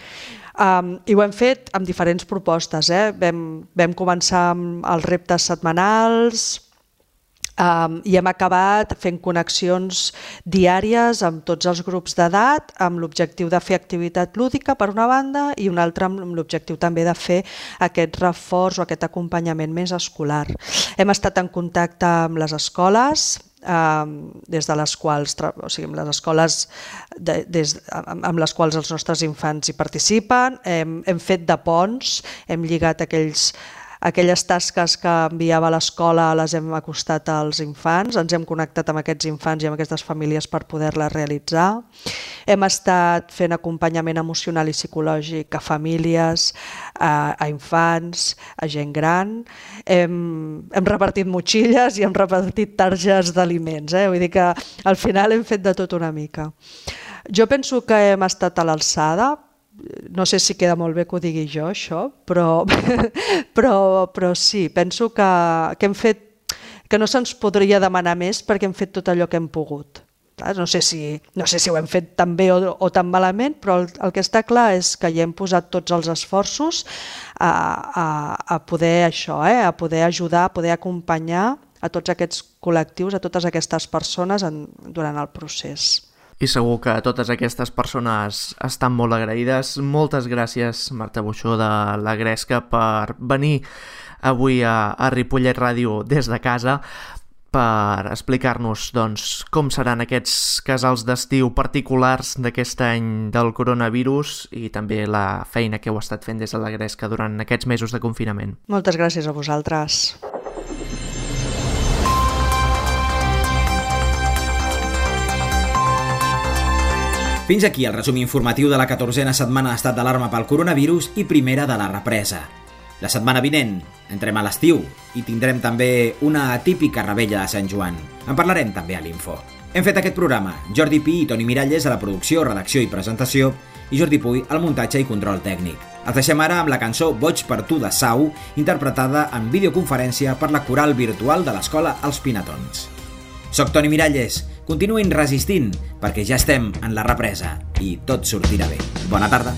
Um, I ho hem fet amb diferents propostes. Eh? Vam, vam començar amb els reptes setmanals, Um, i hem acabat fent connexions diàries amb tots els grups d'edat amb l'objectiu de fer activitat lúdica per una banda i una altra amb l'objectiu també de fer aquest reforç o aquest acompanyament més escolar. Hem estat en contacte amb les escoles, um, des de les quals, o sigui, amb les escoles de, des, amb les quals els nostres infants hi participen, hem, hem fet de ponts, hem lligat aquells Aquelles tasques que enviava a l'escola les hem acostat als infants, ens hem connectat amb aquests infants i amb aquestes famílies per poder-les realitzar. Hem estat fent acompanyament emocional i psicològic a famílies, a, a infants, a gent gran. Hem, hem repartit motxilles i hem repartit targes d'aliments. Eh? Vull dir que al final hem fet de tot una mica. Jo penso que hem estat a l'alçada. No sé si queda molt bé que ho digui jo, això, però, però, però sí, penso que, que hem fet, que no se'ns podria demanar més perquè hem fet tot allò que hem pogut. No sé si, no sé si ho hem fet tan bé o, o tan malament, però el, el que està clar és que hi hem posat tots els esforços a, a, a poder això, eh, a poder ajudar, a poder acompanyar a tots aquests col·lectius, a totes aquestes persones en, durant el procés. I segur que totes aquestes persones estan molt agraïdes. Moltes gràcies, Marta Buxó de la Gresca, per venir avui a, a Ripollet Ràdio des de casa per explicar-nos doncs, com seran aquests casals d'estiu particulars d'aquest any del coronavirus i també la feina que heu estat fent des de la Gresca durant aquests mesos de confinament. Moltes gràcies a vosaltres. Fins aquí el resum informatiu de la catorzena setmana d'estat d'alarma pel coronavirus i primera de la represa. La setmana vinent entrem a l'estiu i tindrem també una atípica revetlla de Sant Joan. En parlarem també a l'Info. Hem fet aquest programa Jordi Pi i Toni Miralles a la producció, redacció i presentació i Jordi Puy al muntatge i control tècnic. Els deixem ara amb la cançó Boig per tu de Sau, interpretada en videoconferència per la coral virtual de l'escola Els Pinatons. Soc Toni Miralles. Continuïn resistint, perquè ja estem en la represa i tot sortirà bé. Bona tarda.